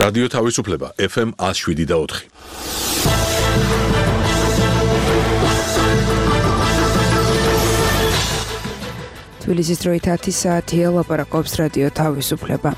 რადიო თავისუფლება FM 107.4. თბილისის დროით 10 საათია, ლაპარაკობს რადიო თავისუფლება.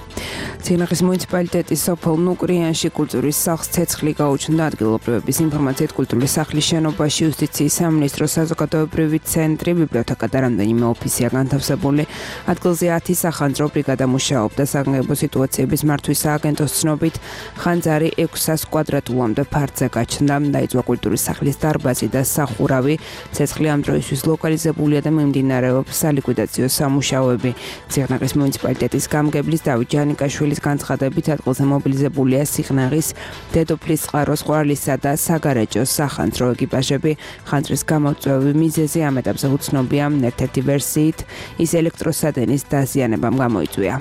ციხნაღის მუნიციპალიტეტის სოფელ ნუკრიანში კულტურის სახლს ცეცხლი გაუჩნდა. ადგილობრივების ინფორმაციით კულტურის სახლის შენობაში იუსტიციის სამინისტროს საზოგადოებრივი ცენტრი, ბიბლიოთეკა და რამდენიმე ოფისია განთავსებული. ადგილზე 10 სახანძრო ბრიგადა მუშაობდა. საგანგებო სიტუაციების მართვის სააგენტოს ცნობით ხანძარი 600 კვადრატულამდე ფართზე გაჩნდა. დაიწვა კულტურის სახლის დარბაზი და სახურავი. ცეცხლი ამ დროისთვის ლოკალიზებულია და მიმდინარეობს სალიკვიდაციო სამუშაოები. ციხნაღის მუნიციპალიტეტის გამგებლის დავით ჯანიკაშვილის განცხადებით ადგილზე მობილიზებულია ციხნაღის, დედოფლის წყაროს, ყვარლისა და საგარეჯოს სახანძრო ეკიპაჟები. ხანძრის გამოწვევი მიზეზი ამ ეტაპზე უცნობია. ერთ-ერთი ვერსიით ის ელექტროსადენის დაზიანებამ გამოიწვია.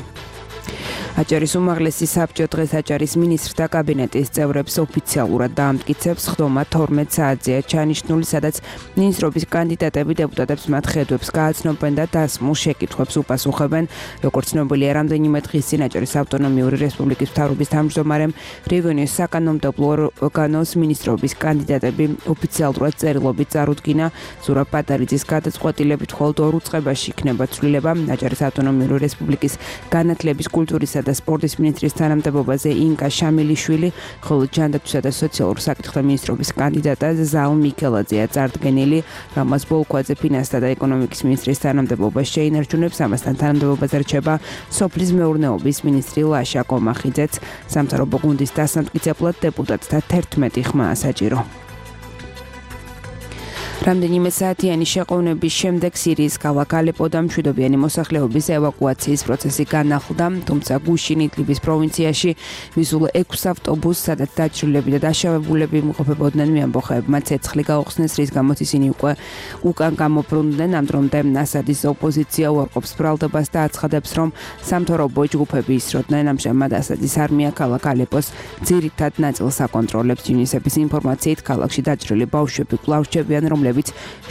აჭარის უმაღლესი საბჭო დღეს აჭარის მინისტრთა კაბინეტის წევრებს ოფიციალურად დაამტკიცებს. ხდომა 12 საათზეა ჩანიშნული, სადაც მინისტრობის კანდიდატები დეპუტატებს მათ ხედვებს გააცნობენ და დასმულ შეკითხვებს უპასუხებენ. როგორც ცნობილია, რამდენიმე დღის წინ აჭარის ავტონომიური რესპუბლიკის მთავრობის თავმჯდომარემ რეგიონის საკანონმდებლო ორგანოს მინისტრობის კანდიდატები ოფიციალურად წერილობით წარუდგინა. ზურაბ პატარიძის გადაწყვეტილებით მხოლოდ 2 წუთში იქნება ცვლილება. აჭარის ავტონომიური რესპუბლიკის განათლების, კულტურისა და სპორტის მინისტრის თანამდებობაზე ინკა შამილიშვილი, ხოლო ჯანდაცვისა და სოციალურ საკითხთა მინისტრობის კანდიდატად ზაალ მიქელაძეა წარდგენილი. რამაზ ბოლქვაძე ფინანსთა და ეკონომიკის მინისტრის თანამდებობას შეინარჩუნებს. ამასთან თანამდებობაზე რჩება სოფლის მეურნეობის მინისტრი ლაშა კომახიძეც. სამთავრობო გუნდის დასამტკიცებლად დეპუტატთა 11 ხმაა საჭირო. რამდენიმე საათიანი შეყოვნების შემდეგ სირიის ქალაქ ალეპოდან მშვიდობიანი მოსახლეობის ევაკუაციის პროცესი განახლდა, თუმცა გუშინ იდლიბის პროვინციაში მისულ 6 ავტობუსს, სადაც დაჭრილები და დაშავებულები იმყოფებოდნენ, მეამბოხეებმა ცეცხლი გაუხსნეს, რის გამოც ისინი უკან გამობრუნდნენ. ამ დრომდე ასადის ოპოზიცია უარყოფს ბრალდებას და აცხადებს, რომ სამთავრობო ჯგუფები ისროდნენ. ამჟამად ასადის არმია ქალაქ ალეპოს ძირითად ნაწილს აკონტროლებს. UNICEF-ის ინფორმაციით ქალაქში დაჭრილი ბავშვები კვლავ რჩებიან, რომლებიც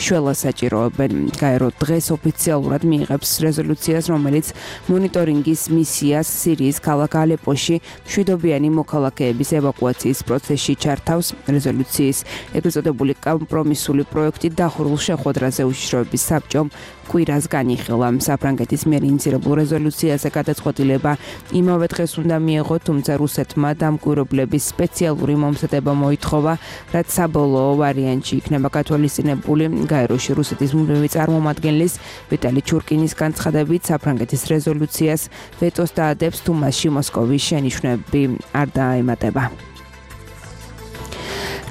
შველას საჭიროებენ. გაერო დღეს ოფიციალურად მიიღებს რეზოლუციას, რომელიც მონიტორინგის მისიას სირიის ქალაქ ალეპოში მშვიდობიანი მოქალაქეების ევაკუაციის პროცესში ჩართავს. რეზოლუციის ეგრეთ წოდებული კომპრომისული პროექტი დახურულ შეხვედრაზე უშიშროების საბჭომ კვირას განიხილა. საფრანგეთის მიერ ინიცირებულ რეზოლუციაზე გადაწყვეტილება იმავე დღეს უნდა მიეღო, თუმცა რუსეთმა დამკვირვებლების სპეციალური მომზადება მოითხოვა, რაც საბოლოო ვარიანტში იქნება გათვალისწინებული. გაეროში რუსეთის მუდმივი წარმომადგენლის ვიტალი ჩურკინის განცხადებით, საფრანგეთის რეზოლუციას ვეტოს დაადებს, თუ მასში მოსკოვის შენიშვნები არ დაემატება.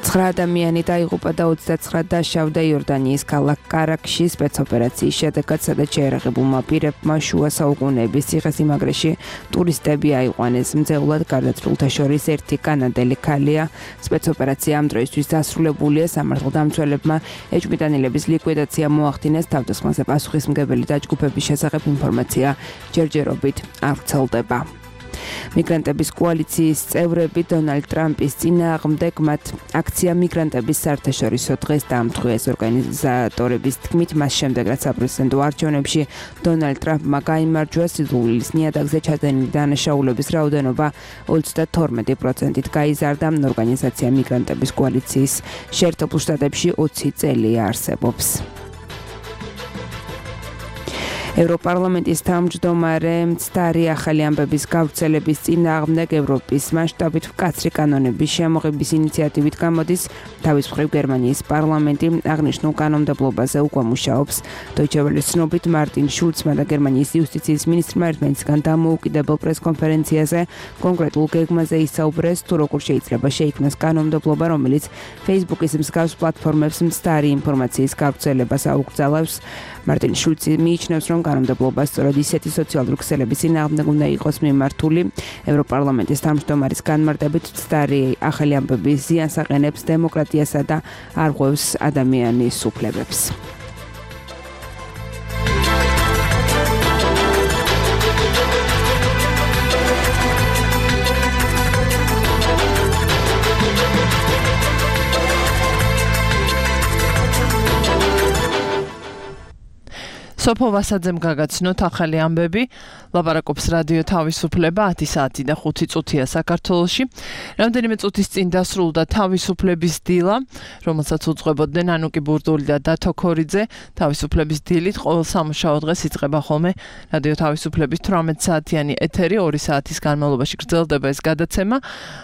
9 ადამიანი დაიღუპა და 29 დაშავდა იორდანიის ქალაქ კარაქში სპეცოპერაციის შედეგად, სადაც შეერაღებულმა პირებმა შუა საუკუნეების ციხესიმაგრეში ტურისტები აიყვანეს. მძევლად გარდაცვლილთა შორის ერთი კანადელი ქალია. სპეცოპერაცია ამ დროისთვის დასრულებულია. სამართალდამცველებმა ეჭვმიტანილების ლიკვიდაცია მოახდინეს. თავდასხმაზე პასუხისმგებელი დაჯგუფების შესახებ ინფორმაცია ჯერჯერობით არ ვრცელდება. მიგრანტების კოალიციის წევრები დონალდ ტრამპის წინააღმდეგ მათ აქცია მიგრანტების საერთაშორისო დღეს დაამტყუეს. ორგანიზატორების თქმით, მას შემდეგ რაც საპრეზიდენტო არჩევნებში დონალდ ტრამპმა გაიმარჯვა, სიძულვილის ნიადაგზე ჩადენილი დანაშაულების რაოდენობა 32%-ით გაიზარდა. ორგანიზაცია მიგრანტების კოალიციის შეერთებულ შტატებში 20 წელია არსებობს. ევროპარლამენტის თავმჯდომარე მცდარი ახალი ამბების გავრცელების წინააღმდეგ ევროპის მასშტაბით მკაცრი კანონების შემოღების ინიციატივით გამოდის. თავის მხრივ გერმანიის პარლამენტი აღნიშნულ კანონმდებლობაზე უკვე მუშაობს. Deutsche Welle-ის ცნობით მარტინ შულცმა და გერმანიის იუსტიციის მინისტრმა ერთმანეთისგან დამოუკიდებელ პრესკონფერენციაზე კონკრეტულ გეგმაზე ისაუბრეს, თუ როგორ შეიძლება შეიქმნას კანონმდებლობა, რომელიც Facebook-ის მსგავს პლატფორმებს მცდარი ინფორმაციის გავრცელებას აუკრძალავს. მარტინ შულცი მიიჩნევს, რომ კანონმდებლობა სწორედ ისეთი სოციალური ქსელების წინააღმდეგ უნდა იყოს მიმართული. ევროპარლამენტის თავმჯდომარის განმარტებით, მცდარი ახალი ამბები ზიანს აყენებს დემოკრატიასა და არღვევს ადამიანის უფლებებს. სოფო ვასაძემ გაგაცნოთ ახალი ამბები. ლაპარაკობს რადიო თავისუფლება 10 საათი და 5 წუთია საქართველოში. რამდენიმე წუთის წინ დასრულდა თავისუფლების დილა, რომელსაც უძღვებოდნენ ანუკი ბურდული და დათო ქორიძე. თავისუფლების დილით ყოველ სამუშაო დღეს იწყება ხოლმე რადიო თავისუფლების 18 საათიანი ეთერი, 2 საათის განმავლობაში გრძელდება ეს გადაცემა.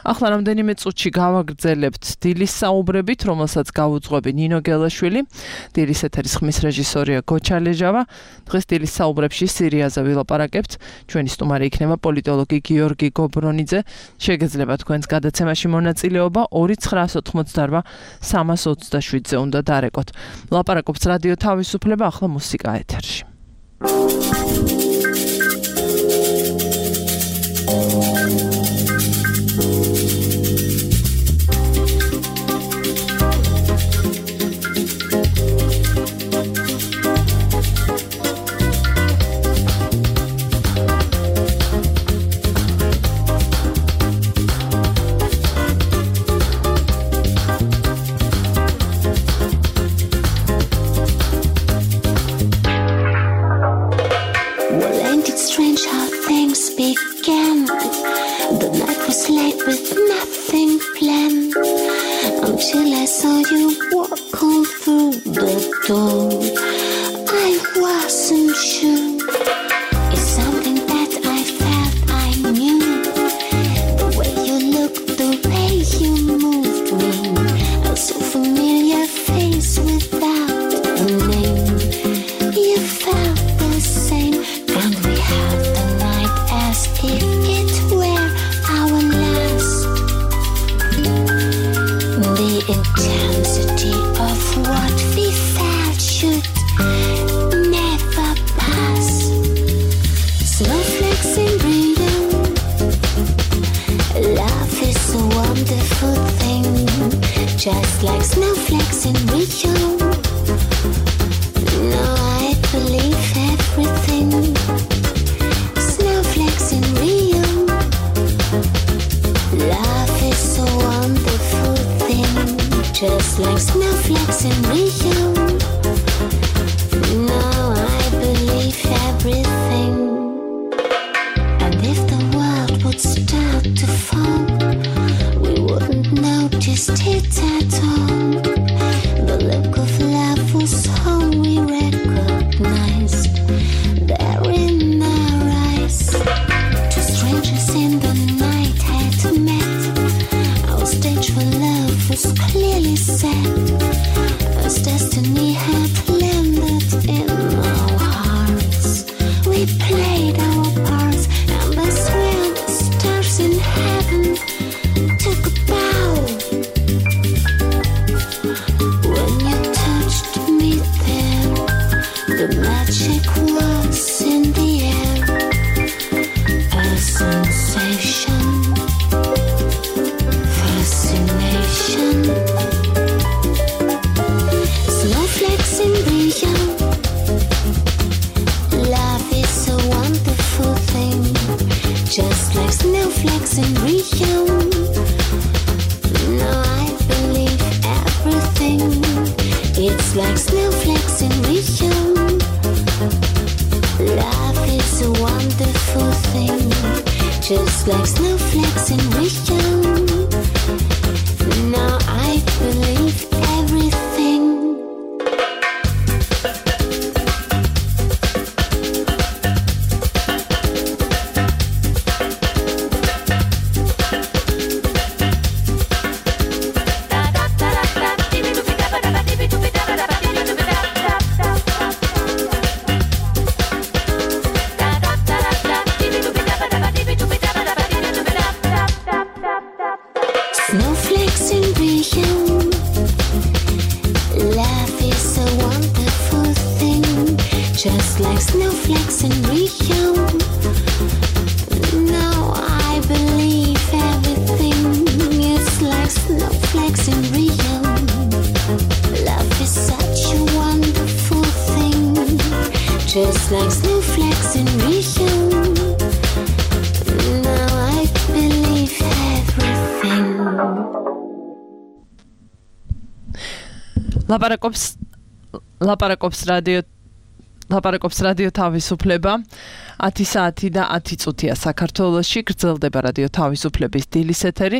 ახლა რამდენიმე წუთში გავაგრძელებთ დილის საუბრებით, რომელსაც გავუძღვები ნინო გელაშვილი. დილის ეთერის ხმის რეჟისორია გოჩალეჟავა. დღეს დილის საუბრებში სირიაზე ვილაპარაკებთ. ჩვენი სტუმარი იქნება პოლიტოლოგი გიორგი გობრონიძე. შეგეძლება თქვენს გადაცემაში მონაწილეობა 2988 327-ზე უნდა დარეკოთ. ლაპარაკობს რადიო თავისუფლება, ახლა მუსიკა ეთერში. Until I saw you walk on through the door, I wasn't sure. It's something that I felt I knew. The way you looked, the way you moved me, a so familiar face without a name. You felt the same, and we had the night as if it were our last. The intensity of what we felt should never pass. Snowflakes in Rio, love is a wonderful thing, just like snowflakes in Rio. Now I believe everything. Snowflakes in Rio, love is a wonderful thing, just like snowflakes in Rio. Now I believe everything. And if the world would start to fall, we wouldn't notice it at all. The look of love was all we recognized there in our eyes. Two strangers in the night had met. Our stage for love was clearly set, as destiny had landed in our hearts. We played our parts, and I swear the stars in heaven took a bow. When you touched me there, the magic was in the air, a sensation, fascination. Snowflakes in Rio, love is a wonderful thing, just like snowflakes in Rio. Now I believe everything. It's like snowflakes in Rio. Love is a wonderful thing, just like snowflakes in Rio. Now I believe everything. Snowflakes in Rio, love is a wonderful thing, just like snowflakes in Rio. Now I believe everything. It's like snowflakes in Rio. Love is such a wonderful thing, just like snowflakes in Rio. Now I believe everything. ლაპარაკობს რადიო ლაპარაკობს რადიო თავისუფლება 10 საათი და 10 წუთია საქართველოში გრძელდება რადიო თავისუფლების დილის ეთერი.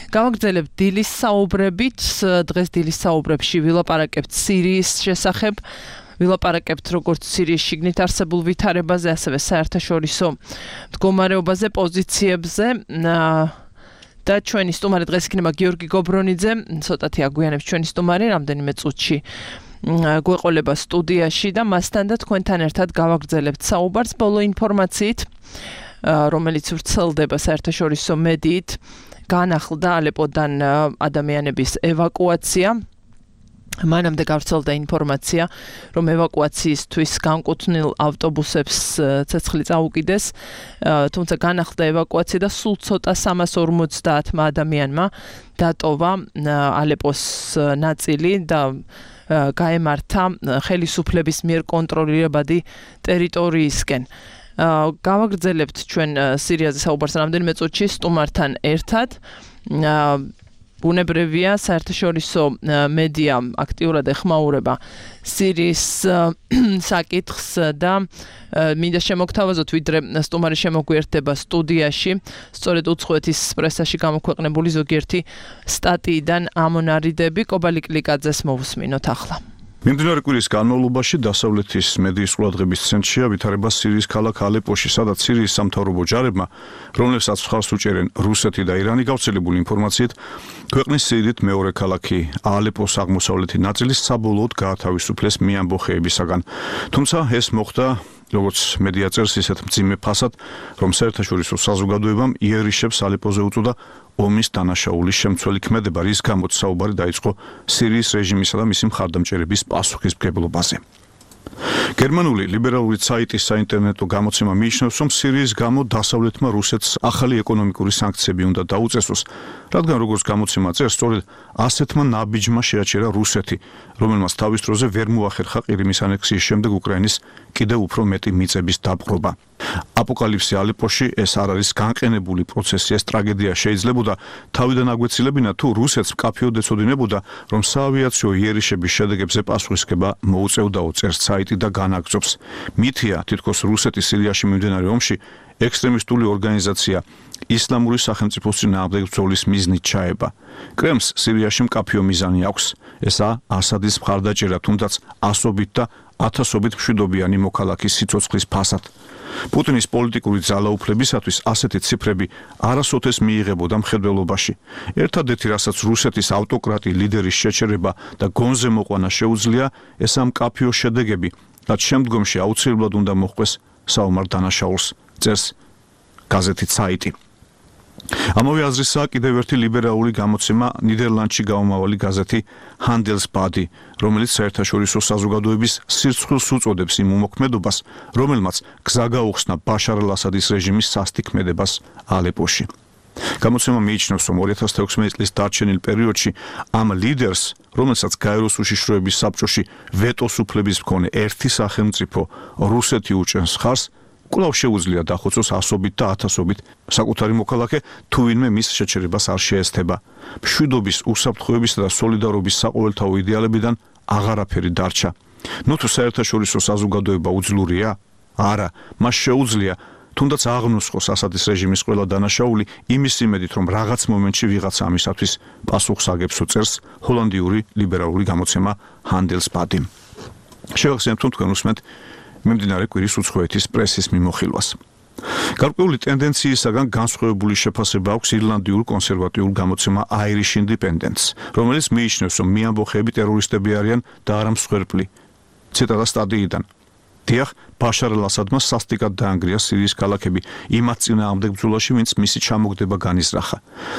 Გავაგრძელებთ დილის საუბრებით. დღეს დილის საუბრებში ვილაპარაკებთ სირიის შესახებ. ვილაპარაკებთ როგორც სირიის შიგნით არსებულ ვითარებაზე, ასევე საერთაშორისო მდგომარეობაზე, პოზიციებზე. და ჩვენი სტუმარი დღეს იქნება გიორგი გობრონიძე. ცოტათი აგვიანებს ჩვენი სტუმარი რამდენიმე წუთში გვეყოლება სტუდიაში და მასთან და თქვენთან ერთად გავაგრძელებთ საუბარს ბოლო ინფორმაციით, რომელიც ვრცელდება საერთაშორისო მედიით. განახლდა ალეპოდან ადამიანების ევაკუაცია. მანამდე გავრცელდა ინფორმაცია, რომ ევაკუაციისთვის განკუთვნილ ავტობუსებს ცეცხლი წაუკიდეს, თუმცა განახლდა ევაკუაცია და სულ ცოტა 350 ადამიანმა დატოვა ალეპოს ნაწილი და გაემართა ხელისუფლების მიერ კონტროლირებადი ტერიტორიისკენ. გავაგრძელებთ ჩვენ სირიაზე საუბარს რამდენიმე წუთში სტუმართან ერთად. ბუნებრივია საერთაშორისო მედია აქტიურად ეხმაურება სირიის საკითხს და მინდა შემოგთავაზოთ, ვიდრე სტუმარი შემოგვიერთდება სტუდიაში, სწორედ უცხოეთის პრესაში გამოქვეყნებული ზოგიერთი სტატიიდან ამონარიდები. კობალი კლიკაძეს მოვუსმინოთ ახლა. მიმდინარე კვირის განმავლობაში დასავლეთის მედიის ყურადღების ცენტრშია ვითარება სირიის ქალაქ ალეპოში, სადაც სირიის სამთავრობო ჯარებმა, რომლებსაც მხარს უჭერენ რუსეთი და ირანი, გავრცელებული ინფორმაციით, ქვეყნის სიდიდით მეორე ქალაქი ალეპოს აღმოსავლეთი ნაწილი საბოლოოდ გაათავისუფლეს მეამბოხეებისაგან. თუმცა ეს მოხდა როგორც მედია წერს ისეთ მძიმე ფასად, რომ საერთაშორისო საზოგადოებამ იერიშებს ალეპოზე უწოდა ომის დანაშაულის შემცველი ქმედება, რის გამოც საუბარი დაიწყო სირიის რეჟიმისა და მისი მხარდამჭერების პასუხისმგებლობაზე. გერმანული ლიბერალური საიტის საინტერნეტო გამოცემა მიიჩნევს, რომ სირიის გამო დასავლეთმა რუსეთს ახალი ეკონომიკური სანქციები უნდა დაუწესოს, რადგან როგორც გამოცემა წერს, სწორედ ასეთმა ნაბიჯმა შეაჩერა რუსეთი, რომელმაც თავის დროზე ვერ მოახერხა ყირიმის ანექსიის შემდეგ უკრაინის კიდევ უფრო მეტი მიწების დაპყრობა. აპოკალიფსი ალეპოში ეს არ არის განყენებული პროცესი, ეს ტრაგედია შეიძლებოდა თავიდან აგვეცილებინა თუ რუსეთს მკაფიოდ ეცოდინებოდა, რომ საავიაციო იერიშების შედეგებზე პასუხისმგება მოუწევდაო, წერს საიტი და განაგრძობს. მითია, თითქოს რუსეთის სირიაში მიმდინარე ომში ექსტრემისტული ორგანიზაცია ისლამური სახელმწიფოს წინააღმდეგ ბრძოლის მიზნით ჩაება. კრემლს სირიაში მკაფიო მიზანი აქვს. ესაა ასადის მხარდაჭერა, თუნდაც ასობით და ათასობით მშვიდობიანი მოქალაქის სიცოცხლის ფასად. პუტინის პოლიტიკური ძალაუფლებისათვის ასეთი ციფრები არასოდეს მიიღებოდა მხედველობაში. ერთადერთი, რასაც რუსეთის ავტოკრატი ლიდერის შეჩერება და გონზე მოყვანა შეუძლია, ესაა მკაფიო შედეგები, რაც შემდგომში აუცილებლად უნდა მოჰყვეს საომარ დანაშაულს, წერს გაზეთი საიტი. ამავე აზრისაა კიდევ ერთი ლიბერალური გამოცემა ნიდერლანდში გაუმავალი გაზეთი Handelsblatt, რომელიც საერთაშორისო საზოგადოების სირცხვილს უწოდებს იმ უმოქმედობას, რომელმაც გზა გაუხსნა ბაშარ ალ-ასადის რეჟიმის სასტიკმედებას ალეპოში. გამოცემა მიიჩნევს, რომ 2016 წლის დარჩენილ პერიოდში ამ ლიდერს, რომელსაც გაეროს უშიშროების საბჭოში ვეტოს უფლების მქონე ერთი სახელმწიფო რუსეთი უჭერს ხარს, კვლავ შეუძლია დახოცოს ასობით და ათასობით საკუთარი მოქალაქე, თუ ვინმე მის შეჩერებას არ შეესთება. მშვიდობის, უსაფრთხოებისა და სოლიდარობის საყოველთაო იდეალებიდან აღარაფერი დარჩა. თუ საერთაშორისო საზოგადოება უძლურია? არა, მას შეუძლია თუნდაც აღნუსხოს ასადის რეჟიმის ყველა დანაშაული იმის იმედით, რომ რაღაც მომენტში ვიღაცა ამისათვის პასუხს აგებსო, წერს ჰოლანდიური ლიბერალური გამოცემა Handelsblatt. შევახსენებთ, რომ თქვენ უსმენთ მიმდინარე კვირის უცხოეთის პრესის მიმოხილვას. გარკვეული ტენდენციისაგან განსხვავებული შეფასება აქვს ირლანდიურ კონსერვატიულ გამოცემა Irish Independence, რომელიც მიიჩნევს, რომ მეამბოხეები ტერორისტები არიან და არა მსხვერპლი. ციტატა სტატიიდან. დიახ, ბაშარ ალ-ასადმა სასტიკად დაანგრია სირიის ქალაქები იმათ წინააღმდეგ ბრძოლაში, ვინც მისი ჩამოგდება განიზრახა.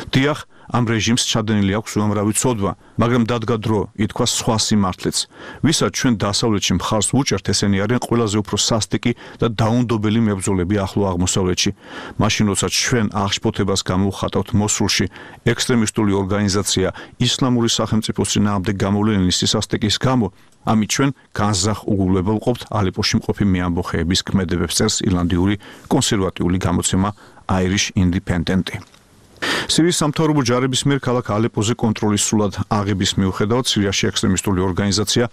დიახ, ამ რეჟიმს ჩადენილი აქვს უამრავი ცოდვა, მაგრამ დადგა დრო, ითქვა სხვა სიმართლეც. ვისაც ჩვენ დასავლეთში მხარს ვუჭერთ, ესენი არიან ყველაზე უფრო სასტიკი და დაუნდობელი მებრძოლები ახლო აღმოსავლეთში. მაშინ, როცა ჩვენ აღშფოთებას გამოვხატავთ მოსულში, ექსტრემისტული ორგანიზაცია ისლამური სახელმწიფოს წინააღმდეგ გამოვლენილი სისასტიკის გამო, ამით ჩვენ განზრახ უგულებელ ყოფთ ალეპოში მყოფი მეამბოხეების ქმედებებს, წერს ირლანდიური კონსერვატიული გამოცემა Irish Independent. სირიის სამთავრობო ჯარების მიერ ქალაქ ალეპოზე კონტროლის სრულად აღების მიუხედავად სირიაში ექსტრემისტული ორგანიზაცია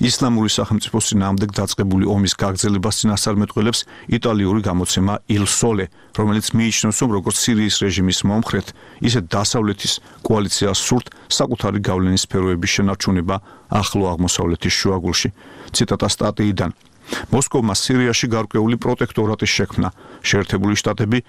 ისლამური სახელმწიფოს წინააღმდეგ დაწყებული ომის გაგრძელებას წინასწარმეტყველებს იტალიური გამოცემა Il Sole, რომელიც მიიჩნევს, რომ როგორც სირიის რეჟიმის მომხრედ, ისე დასავლეთის კოალიციას სურთ საკუთარი გავლენის სფეროების შენარჩუნება ახლო აღმოსავლეთის შუაგულში. ციტატა სტატიიდან. მოსკოვმა სირიაში გარკვეული პროტექტორატის შექმნა. შეერთებული შტატები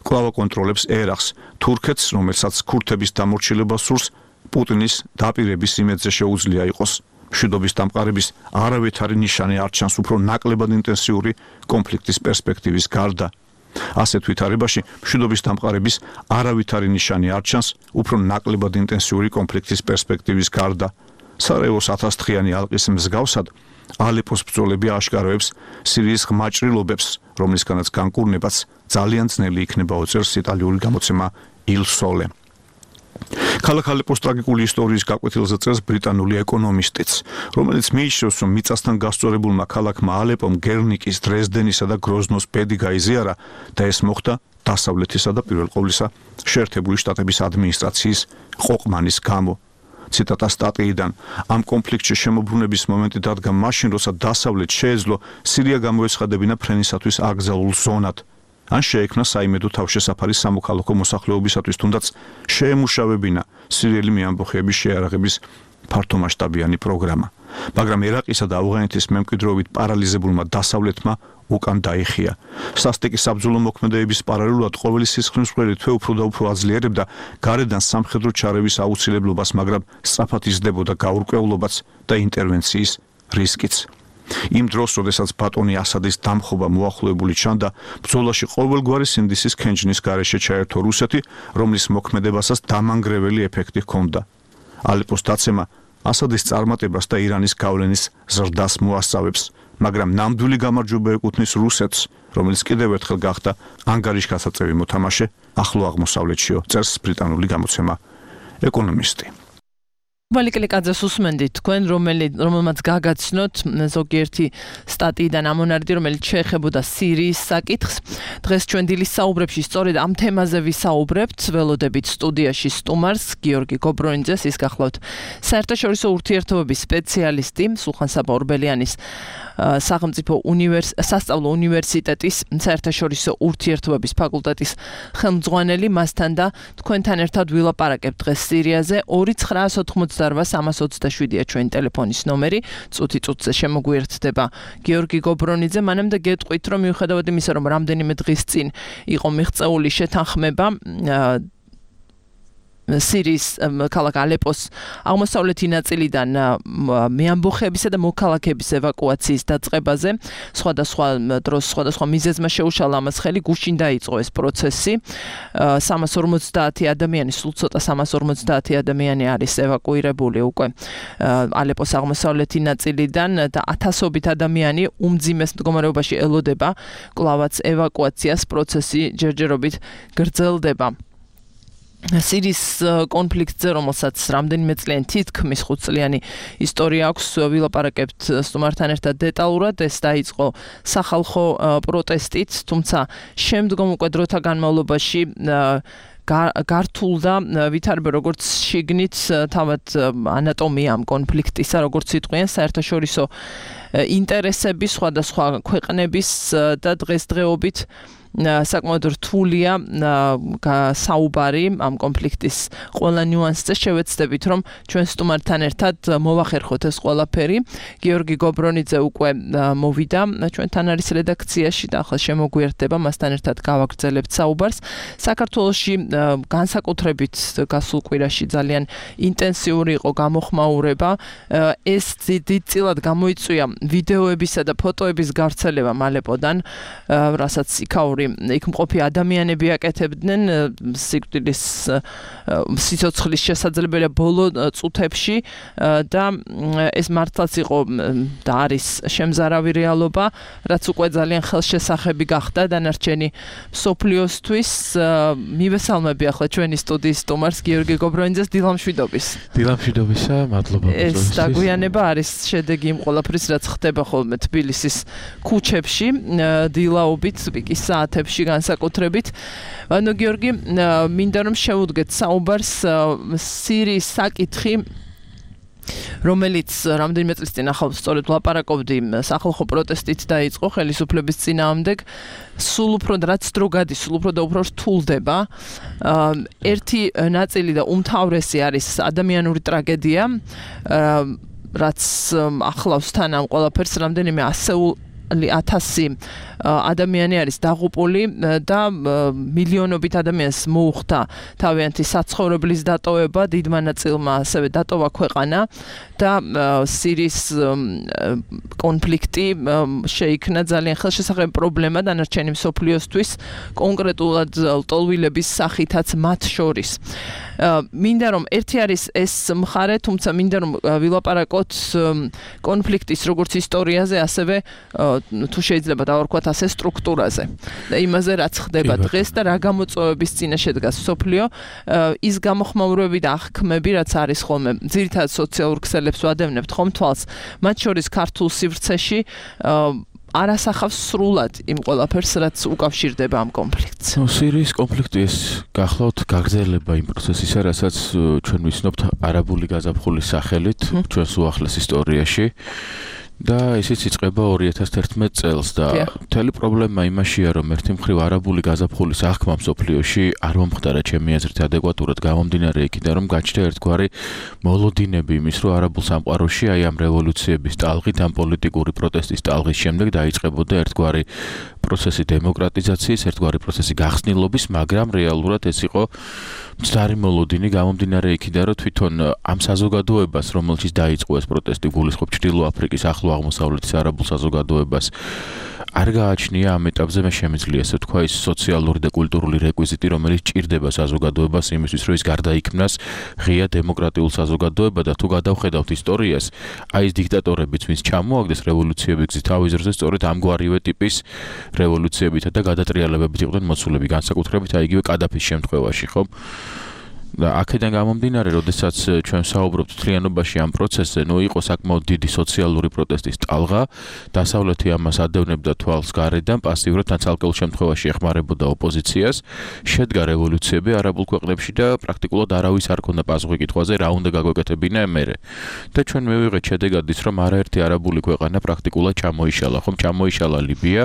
კვლავ აკონტროლებს ერაყს, თურქეთს, რომელსაც ქურთების დამორჩილება სურს, პუტინის დაპირების იმედზე შეუძლია იყოს. მშვიდობის დამყარების არავითარი ნიშანი არ ჩანს უფრო ნაკლებად ინტენსიური კონფლიქტის პერსპექტივის გარდა. ასეთ ვითარებაში მშვიდობის დამყარების არავითარი ნიშანი არ ჩანს უფრო ნაკლებად ინტენსიური კონფლიქტის პერსპექტივის გარდა. სარაევოს 1000-დღიანი ალყის მსგავსად ალეპოს ბრძოლები აშკაროებს სირიის ღმაჭრილობებს, რომლისგანაც განკურნებაც ძალიან ძნელი იქნება, უწევს იტალიური გამოცემა Il Sole. ქალაქ ალეპოს ტრაგიკული ისტორიის გაკვეთილზე წერს ბრიტანული ეკონომისტიც, რომელიც მიიჩნევს, რომ მიწასთან გასწორებულმა ქალაქმა ალეპომ გერნიკის, დრეზდენისა და გროზნოს ბედი გაიზიარა და ეს მოხდა დასავლეთისა და პირველ ყოვლისა შეერთებული შტატების ადმინისტრაციის ყოყმანის გამო. ციტატა სტატიიდან. ამ კონფლიქტში შემოbrunების მომენტი დადგა მაშინ, როცა დასავლეთ შეეძლო სირია გამოეცხადებინა ფრენისათვის აკრძალულ ზონად. ან შეექმნა საიმედო თავშესაფარი სამოქალაქო მოსახლეობისათვის, თუნდაც შეემუშავებინა სირიელი მეამბოხეების შეარაღების ფართომასშტაბიანი პროგრამა. მაგრამ ერაყისა და ავღანეთის მემკვიდრეობით პარალიზებულმა დასავლეთმა უკან დაიხია. სასტიკი საბრძოლო მოქმედებების პარალელურად ყოველი სისხლისმღერი თვე უფრო და უფრო აძლიერებდა გარედან სამხედრო ჩარევის აუცილებლობას, მაგრამ სწრაფად იზრდებოდა გაურკვევლობაც და ინტერვენციის რისკიც. იმ დროს, როდესაც ბატონი ასადის დამხობა მოახლოებული ჩანდა, ბრძოლაში ყოველგვარი სინდისის ქენჯნის გარეშე ჩაერთო რუსეთი, რომლის მოქმედებასაც დამანგრეველი ეფექტი ჰქონდა. ალეპოს დაცემა ასადის წარმატებას და ირანის გავლენის ზრდას მოასწავებს, მაგრამ ნამდვილი გამარჯვება ეკუთვნის რუსეთს, რომელიც კიდევ ერთხელ გახდა ანგარიშგასაწევი მოთამაშე ახლო აღმოსავლეთშიო, წერს ბრიტანული გამოცემა ეკონომისტი. ბალიკელიკაძეს უსმენდით თქვენ, რომელმაც გაგაცნოთ ზოგიერთი სტატიიდან ამონარიდი, რომელიც შეეხებოდა სირიის საკითხს. დღეს ჩვენ დილის საუბრებში სწორედ ამ თემაზე ვისაუბრებთ. ველოდებით სტუდიაში სტუმარს გიორგი გობრონიძეს, ის გახლავთ საერთაშორისო ურთიერთობების სპეციალისტი სულხან-საბა ორბელიანის სასწავლო უნივერსიტეტის საერთაშორისო ურთიერთობების ფაკულტეტის ხელმძღვანელი, მასთან და თქვენთან ერთად ვილაპარაკებთ დღეს სირიაზე. 2988327-ია ჩვენი ტელეფონის ნომერი, წუთი-წუთზე შემოგვიერთდება გიორგი გობრონიძე. მანამდე გეტყვით, რომ მიუხედავად იმისა, რომ რამდენიმე დღის წინ იყო მიღწეული შეთანხმება სირიის ქალაქ ალეპოს აღმოსავლეთი ნაწილიდან მეამბოხეებისა და მოქალაქეების ევაკუაციის დაწყებაზე, სხვადასხვა დროს სხვადასხვა მიზეზმა შეუშალა ამას ხელი, გუშინ დაიწყო ეს პროცესი. 350 ადამიანი, სულ ცოტა 350 ადამიანი არის ევაკუირებული უკვე ალეპოს აღმოსავლეთი ნაწილიდან და ათასობით ადამიანი უმძიმეს მდგომარეობაში ელოდება კვლავაც ევაკუაციას, პროცესი ჯერჯერობით გრძელდება. სირიის კონფლიქტზე, რომელსაც რამდენიმე წლიანი თითქმის 5 წლიანი ისტორია აქვს, ვილაპარაკებთ სტუმართან ერთად დეტალურად. ეს დაიწყო სახალხო პროტესტით, თუმცა შემდგომ უკვე დროთა განმავლობაში გართულდა ვითარება როგორც შიგნით, თავად ანატომია ამ კონფლიქტისა, როგორც იტყვიან საერთაშორისო ინტერესები, სხვადასხვა ქვეყნების და დღესდღეობით საკმაოდ რთულია საუბარი ამ კონფლიქტის ყველა ნიუანსზე. შევეცდებით, რომ ჩვენ სტუმართან ერთად მოვახერხოთ ეს ყველაფერი. გიორგი გობრონიძე უკვე მოვიდა ჩვენთან არის რედაქციაში და ახლა შემოგვიერთდება, მასთან ერთად გავაგრძელებთ საუბარს. საქართველოში განსაკუთრებით გასულ კვირაში ძალიან ინტენსიური იყო გამოხმაურება. ეს დიდწილად გამოიწვია ვიდეოებისა და ფოტოების გავრცელება ალეპოდან, რასაც იქაური იქ მყოფი ადამიანები აკეთებდნენ სიკვდილის სიცოცხლის შესაძლებელია ბოლო წუთებში და ეს მართლაც იყო და არის შემზარავი რეალობა, რაც უკვე ძალიან ხელშესახები გახდა დანარჩენი მსოფლიოსთვის. მივესალმები ახლა ჩვენი სტუდიის სტუმარს გიორგი გობრონიძეს. დილამშვიდობის. დილამშვიდობისა, მადლობა. ეს დაგვიანება არის შედეგი იმ ყველაფრის, რაც ხდება ხოლმე თბილისის ქუჩებში დილაობით, პიკის საათებში მიმართებში განსაკუთრებით. ანუ გიორგი, მინდა რომ შევუდგეთ საუბარს სირიის საკითხი, რომელიც რამდენიმე წლის წინ ახალ სწორედ ვლაპარაკობდი სახალხო პროტესტით დაიწყო ხელისუფლების წინააღმდეგ, სულ უფრო რაც დრო გადის, სულ უფრო და უფრო რთულდება. ერთი ნაწილი და უმთავრესი არის ადამიანური ტრაგედია, რაც ახლავს თან ამ ყველაფერს, რამდენიმე ასეული 1000 ადამიანი არის დაღუპული და მილიონობით ადამიანს მოუხდა თავიანთი საცხოვრებლის დატოვება, დიდმა ნაწილმა ასევე დატოვა ქვეყანა და სირიის კონფლიქტი შეიქმნა ძალიან ხელშესახები პრობლემა დანარჩენი მსოფლიოსთვის, კონკრეტულად ლტოლვილების სახითაც მათ შორის. მინდა რომ ერთი არის ეს მხარე, თუმცა მინდა რომ ვილაპარაკოთ კონფლიქტის როგორც ისტორიაზე, ასევე თუ შეიძლება დავარქვათ ასე სტრუქტურაზე და იმაზე რაც ხდება დღეს და რა გამოწვევების წინაშე დგას მსოფლიო, ის გამოხმაურებები და აღქმები რაც არის ხოლმე ძირითადად სოციალურ ქსელებს ვადევნებთ ხომ თვალს, მათ შორის ქართულ სივრცეში არასახავს სრულად იმ ყველაფერს რაც უკავშირდება ამ კონფლიქტს. სირიის კონფლიქტი ეს გახლავთ გაგრძელება იმ პროცესისა, რასაც ჩვენ ვიცნობთ არაბული გაზაფხულის სახელით ჩვენს უახლეს ისტორიაში. და ისიც იწყება 2011 წელს და მთელი პრობლემა იმაშია, რომ ერთი მხრივ არაბული გაზაფხულის აღქმა მსოფლიოში არ მომხდარა ჩემი აზრით ადეკვატურად გამომდინარე იქიდან, რომ გაჩნდა ერთგვარი მოლოდინები იმის, რომ არაბულ სამყაროში აი ამ რევოლუციების ტალღით, ამ პოლიტიკური პროტესტის ტალღის შემდეგ დაიწყებოდა ერთგვარი პროცესი დემოკრატიზაციის, ერთგვარი პროცესი გახსნილობის, მაგრამ რეალურად ეს იყო მცდარი მოლოდინი გამომდინარე იქიდან, რომ თვითონ ამ საზოგადოებას, რომელშიც დაიწყო ეს პროტესტი, გულისხმობ ჩრდილო აფრიკის ახლო აღმოსავლეთის არაბულ საზოგადოებას, არ გააჩნია ამ ეტაპზე მე შემიძლია ასე თქვა ის სოციალური და კულტურული რეკვიზიტი, რომელიც ჭირდება საზოგადოებას იმისთვის, რომ ის გარდაიქმნას ღია დემოკრატიულ საზოგადოებად და თუ გადავხედავთ ისტორიას, აი ეს დიქტატორებიც, ვინც ჩამოაგდეს რევოლუციების გზით თავის ძროზე, სწორედ ამგვარივე ტიპის რევოლუციებითა და გადატრიალებებით იყვნენ მოცულები, განსაკუთრებით აი იგივე კადაფის შემთხვევაში, ხო? და აქედან გამომდინარე, როდესაც ჩვენ საუბრობთ მთლიანობაში ამ პროცესზე, იყო საკმაოდ დიდი სოციალური პროტესტის ტალღა, დასავლეთი ამას ადევნებდა თვალს გარედან, პასიურად ან ცალკეულ შემთხვევაში ეხმარებოდა ოპოზიციას, შედგა რევოლუციები არაბულ ქვეყნებში და პრაქტიკულად არავის არ ქონდა პასუხი კითხვაზე, რა უნდა გაგვეკეთებინა მერე. და ჩვენ მივიღეთ შედეგად ის, რომ არაერთი არაბული ქვეყანა პრაქტიკულად ჩამოიშალა, ხომ ჩამოიშალა ლიბია,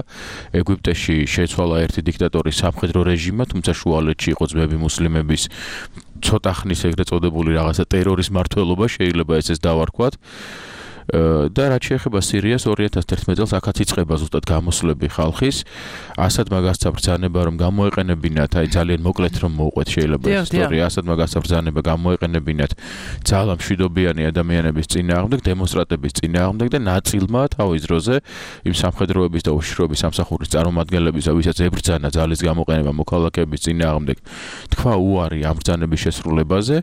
ეგვიპტეში შეცვალა ერთი დიქტატორის სამხედრო რეჟიმა, თუმცა შუალედში იყო ძმები მუსლიმების ცოტა ხნის ეგრეთ წოდებული რაღაცა ტერორის მმართველობა შეიძლება ეს დავარქვათ. და რაც შეეხება სირიას 2011 წელს აქაც იწყება ზუსტად გამოსვლები ხალხის, ასადმა გასცა ბრძანება რომ გამოეყენებინათ, აი ძალიან მოკლედ რომ მოვყვეთ შეიძლება ეს ისტორია, ასადმა გასცა ბრძანება გამოეყენებინათ ძალა მშვიდობიანი ადამიანების წინააღმდეგ, დემონსტრატების წინააღმდეგ და ნაწილმა თავის დროზე იმ სამხედროების და უშიშროების სამსახურის წარმომადგენლების, ვისაც ებრძანა ძალის გამოყენება მოქალაქეების წინააღმდეგ, თქვა უარი ამ ბრძანების შესრულებაზე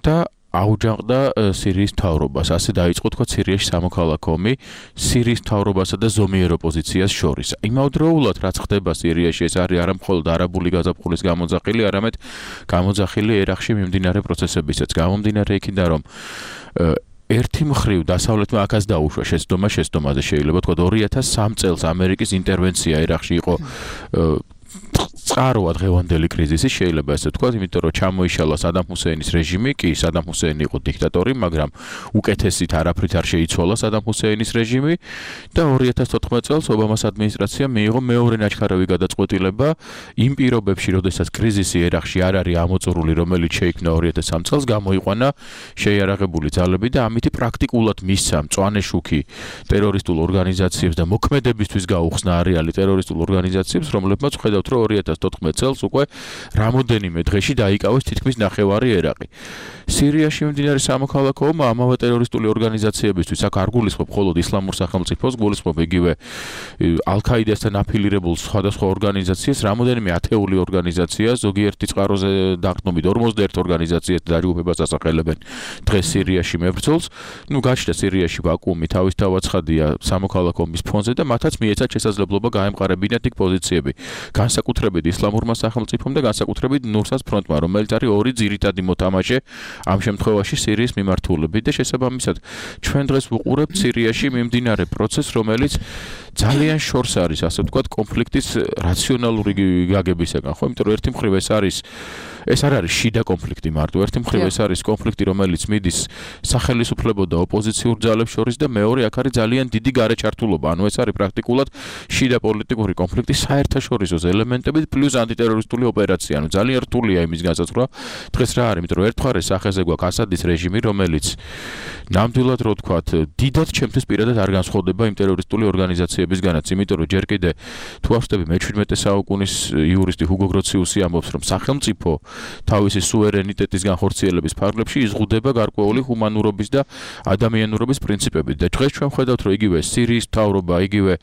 და აუჯანყდა სირიის მთავრობას. ასე დაიწყო თქვა სირიაში სამოქალაქო ომი სირიის მთავრობასა და ზომიერ ოპოზიციას შორის. იმავდროულად რაც ხდება სირიაში, ეს არის არა მხოლოდ არაბული გაზაფხულის გამოძახილი, არამედ გამოძახილი ერაყში მიმდინარე პროცესებისაც. გამომდინარე იქიდან, რომ ერთი მხრივ დასავლეთმა აქაც დაუშვა შეცდომაზე შეიძლება თქვა 2003 წელს ამერიკის ინტერვენცია ერაყში იყო წყაროა დღევანდელი კრიზისი, შეიძლება ესე ვთქვათ, იმიტომ რომ ჩამოიშალა სადამ ჰუსეინის რეჟიმი, კი სადამ ჰუსეინი იყო დიქტატორი, მაგრამ უკეთესით არაფრით არ შეიცვალა სადამ ჰუსეინის რეჟიმი და 2014 წელს ობამას ადმინისტრაციამ მიიღო მეორე ნაჩქარავი გადაწყვეტილება იმ პირობებში, როდესაც კრიზისი ერაყში არ არის ამოწურული, რომელიც შეიქმნა 2003 წელს, გამოიყვანა შეიარაღებული ძალები და ამით პრაქტიკულად მისცა მწვანე შუქი ტერორისტულ ორგანიზაციებს და მოქმედებისთვის გაუხსნა არეალი ტერორისტულ ორგანიზაციებს, რომლებმაც ხედავთ, რომ 2014 წელს უკვე რამოდენიმე დღეში დაიკავეს თითქმის ნახევარი ერაყი. სირიაში მიმდინარე სამოქალაქო ომმა ამავე ტერორისტული ორგანიზაციებისთვის აქ არ გულისხმობ მხოლოდ ისლამურ სახელმწიფოს, გულისხმობ იგივე ალ-ქაიდასთან აფილირებულ სხვადასხვა ორგანიზაციას, რამოდენიმე ათეული ორგანიზაცია, ზოგიერთი წყაროზე დაყრდნობით 51 ორგანიზაციას დაჯგუფებას ასახელებენ დღეს სირიაში მებრძოლს. გაჩნდა სირიაში ვაკუუმი, თავისთავად ცხადია სამოქალაქო ომის ფონზე და მათაც მიეცათ შესაძლებლობა გაემყარებინათ იქ პოზიციები. განსაკუთრებით განსაკუთრებით ისლამურმა სახელმწიფომ და განსაკუთრებით ნურსას ფრონტმა, რომელიც არის ორი ძირითადი მოთამაშე ამ შემთხვევაში სირიის მიმართულებით და შესაბამისად ჩვენ დღეს ვუყურებთ სირიაში მიმდინარე პროცესს, რომელიც ძალიან შორს არის, ასე ვთქვათ, კონფლიქტის რაციონალური გაგებისაგან, ხო? იმიტომ რომ ერთი მხრივ ეს არ არის შიდა კონფლიქტი მარტო, ერთი მხრივ ეს არის კონფლიქტი, რომელიც მიდის სახელისუფლებო და ოპოზიციურ ძალებს შორის და მეორე აქ არის ძალიან დიდი გარეჩართულობა, ანუ ეს არის პრაქტიკულად შიდა პოლიტიკური კონფლიქტი საერთაშორისო ელემენტებით პლუს ანტიტერორისტული ოპერაცია, ანუ ძალიან რთულია იმის განსაზღვრა დღეს რა არის, იმიტომ რომ ერთგვარი სახეზე გვაქვს ასადის რეჟიმი, რომელიც ნამდვილად რო ვთქვათ, დიდად ჩემთვის პირადად არ განსხვავდება იმ ტერორისტული ორგანიზაციებისგანაც, იმიტომ რომ ჯერ კიდე თუ ავსტები მე-17 საუკუნის იურისტი ჰუგო გროციუსი ამბობს, რომ სახელმწიფო თავისი სუვერენიტეტის განხორციელების ფარგლებში იზღუდება გარკვეული ჰუმანურობის და ადამიანურობის პრინციპებით და დღეს ჩვენ ხედავთ, რომ იგივე სირიის მთავრობა, იგივე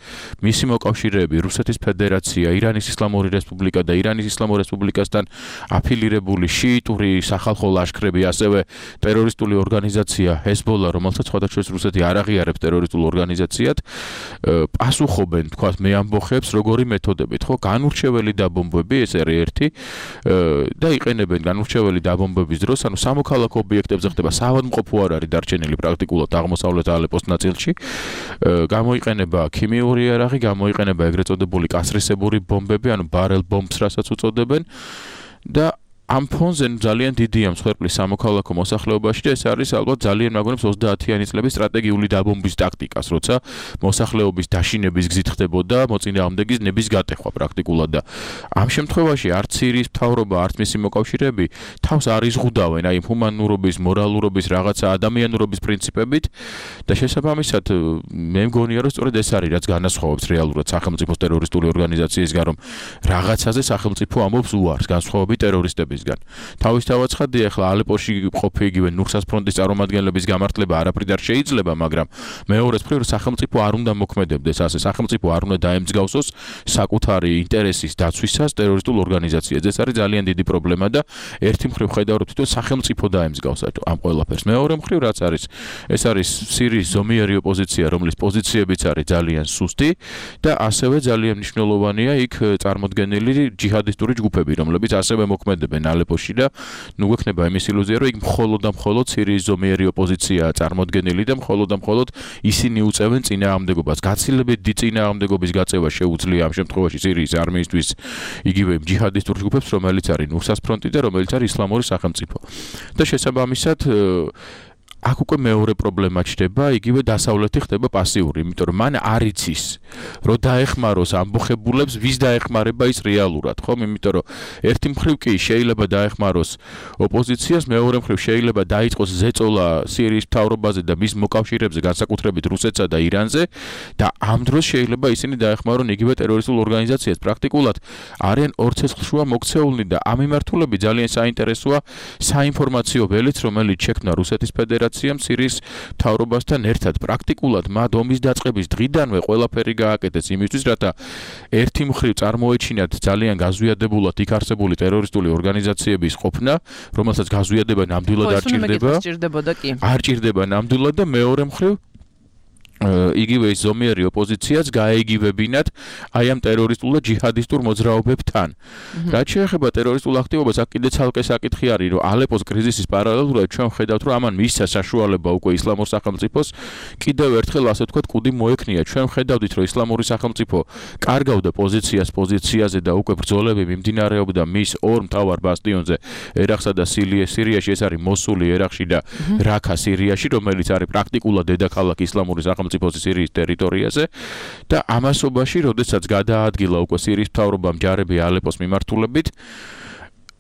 მისი მოკავშირეები, რუსეთის ფედერაცია, ირანის ისლამური რესპუბლიკა და ირანის ისლამურ რესპუბლიკასთან აფილირებული შიიტური სახალხო ლაშქრები, ასევე ტერორისტული ორგანიზაცია ჰეზბოლა, რომელსაც სხვადასხვა რუსეთი არ აღიარებს ტერორისტულ ორგანიზაციად, პასუხობენ, თქვათ, მე ამბოხებს როგორი მეთოდებით, ხო? განურჩეველი დაბომბვები, ეს არის ერთი და იყენებენ განურჩეველი დაბომბების დროს, ანუ სამოქალაქო ობიექტებზე ხდება, საავადმყოფო არ არის დარჩენილი პრაქტიკულად აღმოსავლეთ ალეპოს ნაწილში. გამოიყენება ქიმიური იარაღი, გამოიყენება ეგრეთ წოდებული კასრისებური ბომბები, ანუ ბარელ ბომბს, რასაც უწოდებენ და ამ ფონზე ძალიან დიდია მსხვერპლის სამოქალაქო მოსახლეობაში და ეს არის ალბათ ძალიან მაგონებს 30-იანი წლების სტრატეგიული დაბომბვის ტაქტიკას, როცა მოსახლეობის დაშინების გზით ხდებოდა მოწინააღმდეგის ნების გატეხვა პრაქტიკულად და ამ შემთხვევაში არც სირიის მთავრობა, არც მისი მოკავშირეები თავს არ იზღუდავენ აი ჰუმანურობის, მორალურობის, რაღაცა ადამიანურობის პრინციპებით და შესაბამისად მე მგონია რომ სწორედ ეს არის რაც განასხვავებს რეალურად სახელმწიფოს ტერორისტული ორგანიზაციისგან, რომ რაღაცაზე სახელმწიფო ამბობს უარს განსხვავებით ტერორისტების თავისთავად ცხადია, ახლა ალეპოში ყოფი იგივე ნურსას ფრონტის წარმომადგენლების გამართლება არაფრით არ შეიძლება, მაგრამ მეორეს მხრივ სახელმწიფო არ უნდა მოქმედებდეს ასე, სახელმწიფო არ უნდა დაემსგავსოს საკუთარი ინტერესის დაცვისას ტერორისტულ ორგანიზაციას. ეს არის ძალიან დიდი პრობლემა და ერთი მხრივ ხედავთ თვითონ სახელმწიფო დაემსგავსა ამ ყველაფერს. მეორე მხრივ რაც არის, ეს არის სირიის ზომიერი ოპოზიცია, რომლის პოზიციებიც არის ძალიან სუსტი და ასევე ძალიან მნიშვნელოვანია იქ წარმოდგენილი ჯიჰადისტური ჯგუფები, რომლებიც ასევე მოქმედებენ ალეპოში და ნუ გვექნება იმის ილუზია, რომ იქ მხოლოდ და მხოლოდ სირიის ზომიერი ოპოზიციაა წარმოდგენილი და მხოლოდ და მხოლოდ ისინი უწევენ წინააღმდეგობას. გაცილებით დიდ წინააღმდეგობის გაწევა შეუძლია ამ შემთხვევაში სირიის არმიისთვის იგივე ჯიჰადისტურ ჯგუფებს, რომელიც არის ნურსას ფრონტი და რომელიც არის ისლამური სახელმწიფო. და შესაბამისად აქ უკვე მეორე პრობლემა ჩნდება, იგივე დასავლეთი ხდება პასიური, იმიტომ რომ მან არ იცის, რომ დაეხმაროს ამბოხებულებს, ვის დაეხმარება ის რეალურად, ხომ? იმიტომ რომ ერთი მხრივ კი შეიძლება დაეხმაროს ოპოზიციას, მეორე მხრივ შეიძლება დაიწყოს ზეწოლა სირიის მთავრობაზე და მის მოკავშირეებზე, განსაკუთრებით რუსეთსა და ირანზე და ამ დროს შეიძლება ისინი დაეხმარონ იგივე ტერორისტულ ორგანიზაციას. პრაქტიკულად არიან ორ ცეცხლშუა მოქცეულნი და ამ მიმართულებით ძალიან საინტერესოა საინფორმაციო ველიც, რომელიც შექმნა რუსეთის ფედერაციამ სირიის მთავრობასთან ერთად. პრაქტიკულად მათ ომის დაწყების დღიდანვე ყველაფერი გააკეთეს იმისთვის, რათა ერთი მხრივ წარმოეჩინათ ძალიან გაზვიადებულად იქ არსებული ტერორისტული ორგანიზაციების ყოფნა, რომელსაც გაზვიადება ნამდვილად არ ჭირდება ნამდვილად და მეორე მხრივ იგივე ის ზომიერი ოპოზიციაც გაეიგივებინათ აი ამ ტერორისტულ და ჯიჰადისტურ მოძრაობებთან. რაც შეეხება ტერორისტულ აქტივობას, აქ კიდე ცალკე საკითხი არის, რომ ალეპოს კრიზისის პარალელურად ჩვენ ხედავთ, რომ ამან მისცა საშუალება უკვე ისლამურ სახელმწიფოს კიდევ ერთხელ ასე ვთქვათ კუდი მოექნია. ჩვენ ხედავდით, რომ ისლამური სახელმწიფო კარგავდა პოზიციაზე და უკვე ბრძოლები მიმდინარეობდა მის ორ მთავარ ბასტიონზე, ერაყსა და სირიაში, ეს არის მოსული ერაყში და რაქა სირიაში, რომელიც არის პრაქტიკულად დედაქალაქი ისლამური სახელმწიფოს სირიის ტერიტორიაზე და ამასობაში, როდესაც გადაადგილა უკვე სირიის მთავრობამ ჯარები ალეპოს მიმართულებით,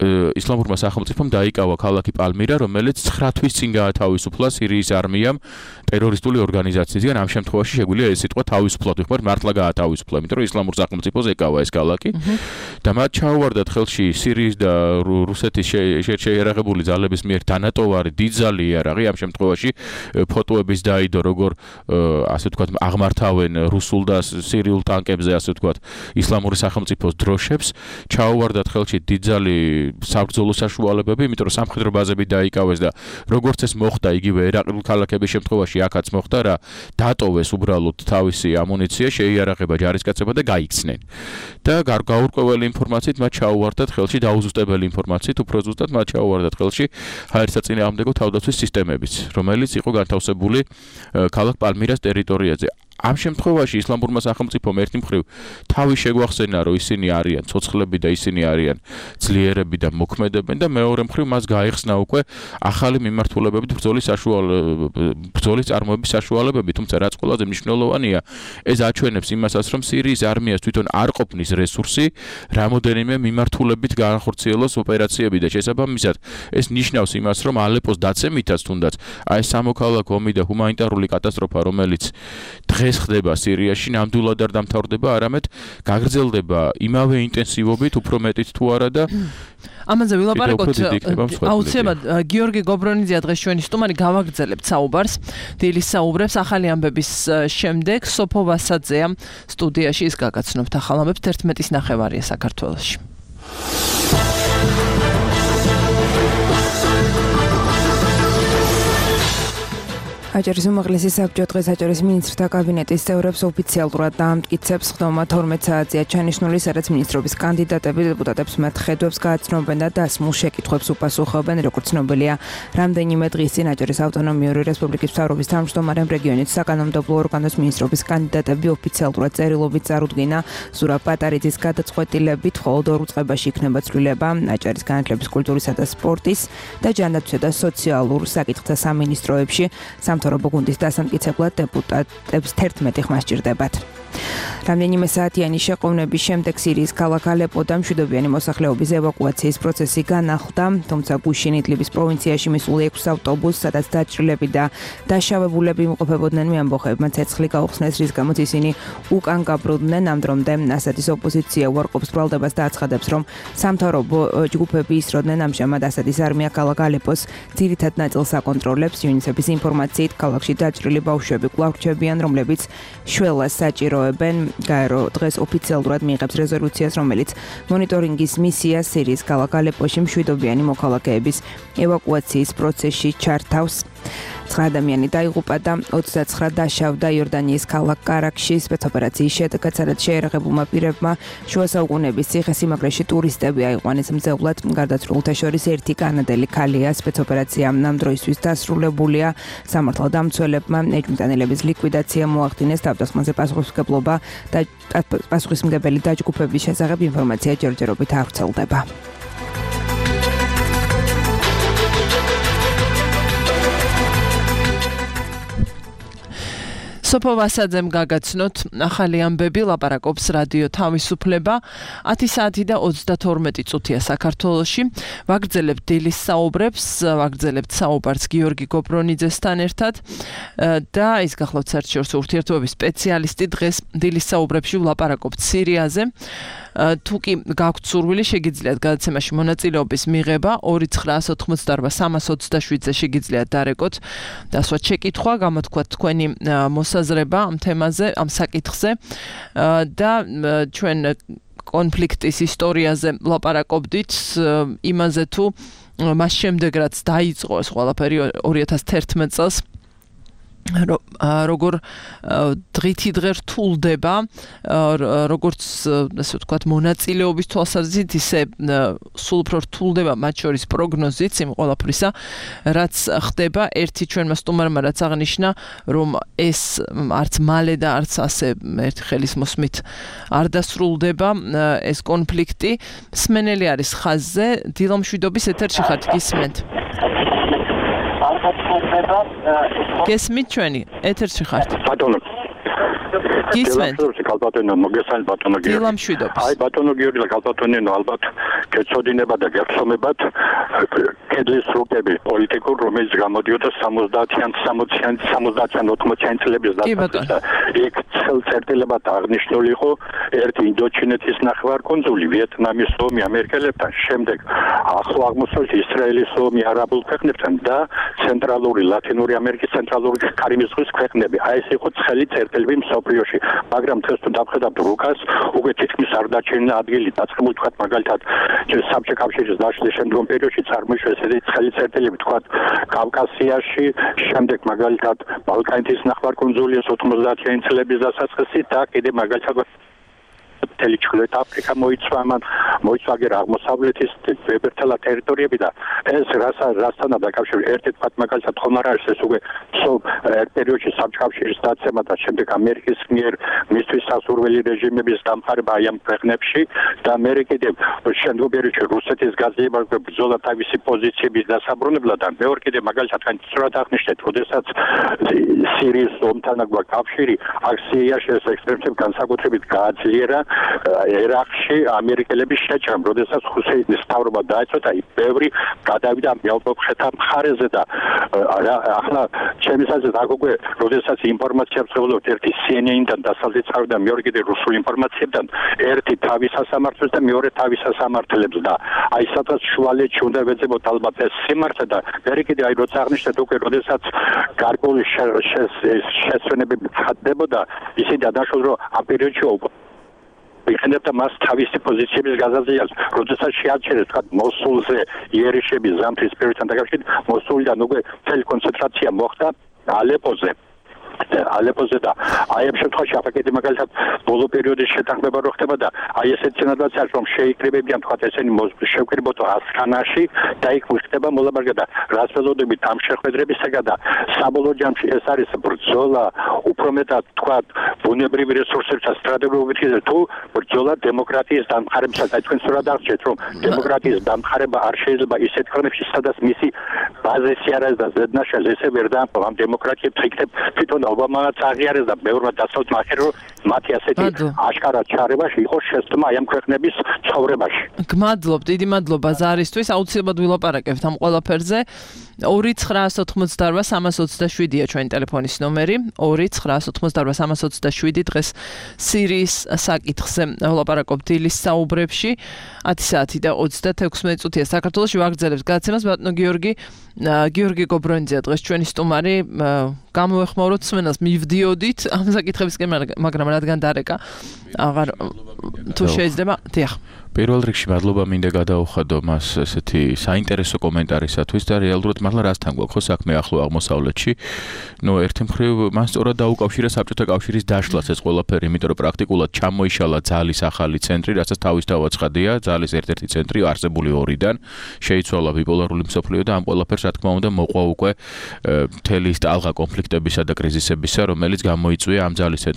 ისლამურმა სახელმწიფომ დაიკავა ქალაქი პალმირა, რომელიც 9 თვის წინ გაათავისუფლა სირიის არმიამ ტერორისტული ორგანიზაციისგან. ამ შემთხვევაში შეგვიძლია ეს სიტყვა თავისუფლად ვიხმართ, მართლა გაათავისუფლა, იმიტომ რომ ისლამურ სახელმწიფოს ეკავა ეს ქალაქი და მათ ჩაუვარდათ ხელში სირიის და რუსეთის შეიარაღებული ძალების მიერ დანატოვარი დიდძალი იარაღი. ამ შემთხვევაში ფოტოების დაიდო, როგორ ასე ვთქვათ, აღმართავენ რუსულ და სირიულ ტანკებზე, ასე ვთქვათ, ისლამური სახელმწიფოს დროშებს, ჩაუვარდათ ხელში დიდძალი საბრძოლო საშუალებები, იმიტომ რომ სამხედრო ბაზები დაიკავეს და როგორც ეს მოხდა იგივე ერაყილ ქალაქების შემთხვევაში აქაც მოხდა რა, დატოვეს უბრალოდ თავისი ამუნიცია, შეიარაღება ჯარისკაცებმა და გაიქცნენ. და გაურკვეველი ინფორმაციით მათ ჩაუვარდათ ხელში დაუზუსტებელი ინფორმაციით, უფრო ზუსტად მათ ჩაუვარდათ ხელში ჰაერსაწინააღმდეგო თავდაცვის სისტემებიც, რომელიც იყო განთავსებული ქალაქ პალმირას ტერიტორიაზე. ამ შემთხვევაში ისლამურმა სახელმწიფომ ერთი მხრივ თავი შეგვახსენა, რომ ისინი არიან ცოცხლები და ისინი არიან ძლიერები და მოქმედებენ და მეორე მხრივ მას გაიხსნა უკვე ახალი მიმართულებებით ბრძოლის წარმოების საშუალებები, თუმცა რაც ყველაზე მნიშვნელოვანია, ეს აჩვენებს იმასაც, რომ სირიის არმიას თვითონ არ ყოფნის რესურსი, რამოდენიმე მიმართულებით განახორციელოს ოპერაციები და შესაბამისად ეს ნიშნავს იმას, რომ ალეპოს დაცემითაც თუნდაც აი სამოქალაქო ომი და ჰუმანიტარული კატასტროფა, რომელიც დღეს ხდება სირიაში, ნამდვილად არ დამთავრდება, არამედ გაგრძელდება იმავე ინტენსივობით, უფრო მეტით თუ არა და ამაზე ვილაპარაკოთ. აუცილებლად გიორგი გობრონიძეა დღეს ჩვენი სტუმარი, გავაგრძელებთ საუბარს. დილის საუბრებს ახალი ამბების შემდეგ სოფო ვასაძეა სტუდიაში, ის გაგაცნობთ ახალ ამბებს 11:30 საქართველოში. აჭარის უმაღლესი საბჭო დღეს აჭარის მინისტრთა კაბინეტის წევრებს ოფიციალურად დაამტკიცებს ხდომა 12 საათზეა ჩანიშნული, სადაც მინისტრობის კანდიდატები დეპუტატებს მათ ხედვებს გააცნობენ და დასმულ შეკითხვებს უპასუხობენ, როგორც ცნობილია. რამდენიმე დღის წინ აჭარის ავტონომიური რესპუბლიკის მთავრობის თავმჯდომარემ რეგიონის საკანონმდებლო ორგანოს მინისტრობის კანდიდატები ოფიციალურად წერილობით წარუდგინა. ზურაბ პატარიძის გადაწყვეტილებით მხოლოდ 2 წუთში იქნება ცვლილება აჭარის განათლების, კულტურისა და სპორტის და ჯანდაცვისა და სოციალურ საკითხთა სამინისტროებში. სამთავრობო გუნდის დასამტკიცებლად დეპუტატებს 11 ხმა სჭირდებათ. რამდენიმე საათიანი შეყოვნების შემდეგ სირიის ქალაქ ალეპოდან მშვიდობიანი მოსახლეობის ევაკუაციის პროცესი განახლდა, თუმცა გუშინ იდლიბის პროვინციაში მისული 6 ავტობუსს, სადაც დაჭრილები და დაშავებულები იმყოფებოდნენ, მეამბოხებმა ცეცხლი გაუხსნეს, რის გამოც ისინი უკან გაბრუნდნენ. ამ დრომდე ასადის ოპოზიცია უარყოფს ბრალდებას და აცხადებს, რომ სამთავრობო ჯგუფები ისროდნენ. ამჟამად ასადის არმია ქალაქ ალეპოს ძირითად ნაწილს აკონტროლებს. UNICEF-ის ინფორმაციით, ქალაქში დაჭრილი ბავშვები კვლავ რჩებიან, რომლებიც შველას საჭიროებენ. გაერო დღეს ოფიციალურად მიიღებს რეზოლუციას, რომელიც მონიტორინგის მისიას სირიის ქალაქ ალეპოში მშვიდობიანი მოქალაქეების ევაკუაციის პროცესში ჩართავს. 9 ადამიანი დაიღუპა და 29 დაშავდა იორდანიის ქალაქ კარაქში სპეცოპერაციის შედეგად, სადაც შეერაღებულმა პირებმა შუა საუკუნეების ციხესიმაგრეში ტურისტები აიყვანეს მძევლად. გარდაცვლილთა შორის ერთი კანადელი ქალია. სპეცოპერაცია ამ დროისთვის დასრულებულია. სამართალდამცველებმა ეჭვმიტანილების ლიკვიდაცია მოახდინეს. თავდასხმაზე პასუხისმგებლობა და პასუხისმგებელი დაჯგუფების შესახებ ინფორმაცია ჯერჯერობით არ ვრცელდება. სოფო ვასაძემ გაგაცნოთ ახალი ამბები, ლაპარაკობს რადიო თავისუფლება. 10 საათი და 32 წუთია საქართველოში. ვაგრძელებთ დილის საუბრებს, ვაგრძელებთ საუბარს გიორგი გობრონიძესთან ერთად და ის გახლავთ საერთაშორისო ურთიერთობების სპეციალისტი. დღეს დილის საუბრებში ვლაპარაკობთ სირიაზე. თუ კი გაქვთ სურვილი, შეგიძლიათ გადაცემაში მონაწილეობის მიღება 2988327-ზე შეგიძლიათ დარეკოთ დასვათ შეკითხვა, გამოთქვათ თქვენი მოსაზრება ამ თემაზე, ამ საკითხზე და ჩვენ კონფლიქტის ისტორიაზე ვლაპარაკობდით, იმაზე თუ მას შემდეგ რაც დაიწყო ეს ყველაფერი 2011 წელს როგორ დღითი დღე რთულდება, როგორც ასე ვთქვათ, მონაწილეობის თვალსაზრისით, ისე სულ უფრო რთულდება მათ შორის პროგნოზიც იმ ყველაფრისა, რაც ხდება. ერთი ჩვენმა სტუმარმა რაც აღნიშნა, რომ ეს არც მალე და არც ასე ერთი ხელის მოსმით არ დასრულდება ეს კონფლიქტი. მსმენელი არის ხაზზე, დილამშვიდობის ეთერში ხართ, გისმენთ? გესმით ჩვენი ეთერში ხართ? ბატონო. გისმენთ? კალბატონო, მოგესალმებით ბატონო გიორგი. დილამშვიდობის. აი ბატონო გიორგი, კალბატონო, ალბათ გეცოდინება და გეხსომებათ. კედლის რუკები პოლიტიკურ რომელიც გამოდიოდა 70-იან 80-იან წლების დასაწყისში. იქ წერტილებად აღნიშნული იყო ერთი ინდოჩინეთის ნახევარკუნძული, ვიეტნამის ომი ამერიკელებთან, შემდეგ ახლო აღმოსავლეთ ისრაელის ომი არაბულ ქვეყნებთან და ცენტრალური ლათინური ამერიკის ცენტრალური კარიბის ზღვის ქვეყნები. აი ეს იყო ცხელი წერტილები მსოფლიოში. მაგრამ დღეს თუ დავხედავთ რუკას, უკვე თითქმის არ დაჩენილა ადგილი დაწყებული თქვა მაგალითად საბჭოთა კავშირის დაშლის შემდგომ პერიოდში წარმოიშვა ესეთი ცხელი წერტილები თქვა კავკასიაში, შემდეგ მაგალითად ბალკანეთის ნახევარკუნძულის 90-იან წლების დასაწყისი და კიდე მაგალითად მთელი ჩრდილოეთ აფრიკა მოიცვა აღმოსავლეთის ვებერთელა ტერიტორიები და ეს რასთან დაკავშირებული ერთი თქვა მაგალითად ხომ არ არის ეს უკვე პერიოდში საბჭოთა კავშირის დაცემა და შემდეგ ამერიკის მიერ მისთვის სასურველი რეჟიმების დამყარება აი ამ ქვეყნებში და მე კიდე შემდგომ პერიოდში რუსეთის გაძლიერება ბრძოლა თავისი პოზიციების დასაბრუნებლად და მეორე კიდე მაგალითად სწორად აღნიშნეთ, როდესაც სირიის ომთან აქვს კავშირი, აქ სირიაში ეს ექსპერტები განსაკუთრებით გააძლიერა ერაყში ამერიკელების შეჭრამ, როდესაც ჰუსეინის მთავრობა დაეწყო და ბევრი გადავიდა მეალბოფხეთა მხარეზე და ახლა ჩემს აზრით აქ უკვე როდესაც ინფორმაცია ვწევლობთ ერთი CNN-დან დასავლეთ წავიდა მეორე კიდე რუსულ ინფორმაციებთან ერთი თავის სასამართლოს და მეორე თავის სასამართლებს და აი სადღაც შუალედში უნდა ვეძებოთ ალბათ ეს სიმართლე და მე კიდე აი როცა აღნიშნეთ უკვე როდესაც გარკვეული შესვენებები ხდებოდა ისინი დადაშორდა რომ ამ პერიოდში იქნებოდა მას თავისი პოზიციების გაზრდას, როდესაც შეაჩერეს თქვა მოსულზე იერიშები ზამთრის პერიოდთან დაკავშირებით, მოსულიდან უკვე მთელი კონცენტრაცია მოხდა ალეპოზე და აი ამ შემთხვევაში აფრიკეთი მაგალითად ბოლო პერიოდის შეთანხმება რო ხდება და აი ესეთ სცენარად არის რომ შეიკრიბებიან თქვა ესენი შევკრიბოთ ასკანაში და იქ ხდება მოლაპარაკება და რას ველოდებით ამ შეხვედრებისაგან და საბოლოო ჯამში ეს არის ბრძოლა უფრო მეტად თქვა ბუნებრივი რესურსებთან სტრატეგიულად თუ ბრძოლა დემოკრატიის დამყარებისას აი თქვენ სწორად აღწერეთ რომ დემოკრატიის დამყარება არ შეიძლება ისეთ ქვეყნებში სადაც მისი ბაზისი არ არის და ზედნაშალ ესე ვერ დაამყობა ამ დემოკრატიებს იქნებ თვითონ ობამაც აღიარეს და ბევრმა დასავლეთ მახერ რომ მათი ასეთი აშკარად ჩარებაში იყოს შესწმა აი ამ ქვეყნების ცხოვრებაში. გმადლობ, დიდი მადლობა ზარისთვის, აუცილებლად ვილაპარაკებთ ამ ყველაფერზე. 2988327-ია ჩვენი ტელეფონის ნომერი, 2988327 დღეს სირიის საკითხზე ვლაპარაკობთ დილის საუბრებში. 10 საათი და 36 წუთია საქართველოში ვაგრძელებთ გადაცემას ბატონო გიორგი გობრონიძე დღეს ჩვენი სტუმარი გამოვეხმაუროთ სმენას მივდიოდით ამ საკითხებისკენ მაგრამ რადგან დარეკა აღარ თუ შეიძლება დიახ პირველ რიგში მადლობა მინდა გადაუხადო მას ესეთი საინტერესო კომენტარისათვის და რეალურად მართლა რასთან გვაქვს ხო საქმე ახლო აღმოსავლეთში. ნუ ერთი მხრივ მან სწორად დაუკავშირა საბჭოთა კავშირის დაშლას ეს ყველაფერი, იმიტომ რომ პრაქტიკულად ჩამოიშალა ძალის ახალი ცენტრი, რასაც თავისთავად ცხადია, ძალის ერთ-ერთი ცენტრი არსებული ორიდან, შეიცვალა ბიპოლარული მსოფლიო და ამ ყველაფერს რა თქმა უნდა მოყვა უკვე მთელი ის ტალღა კონფლიქტებისა და კრიზისებისა, რომელიც გამოიწვია ამ ძალის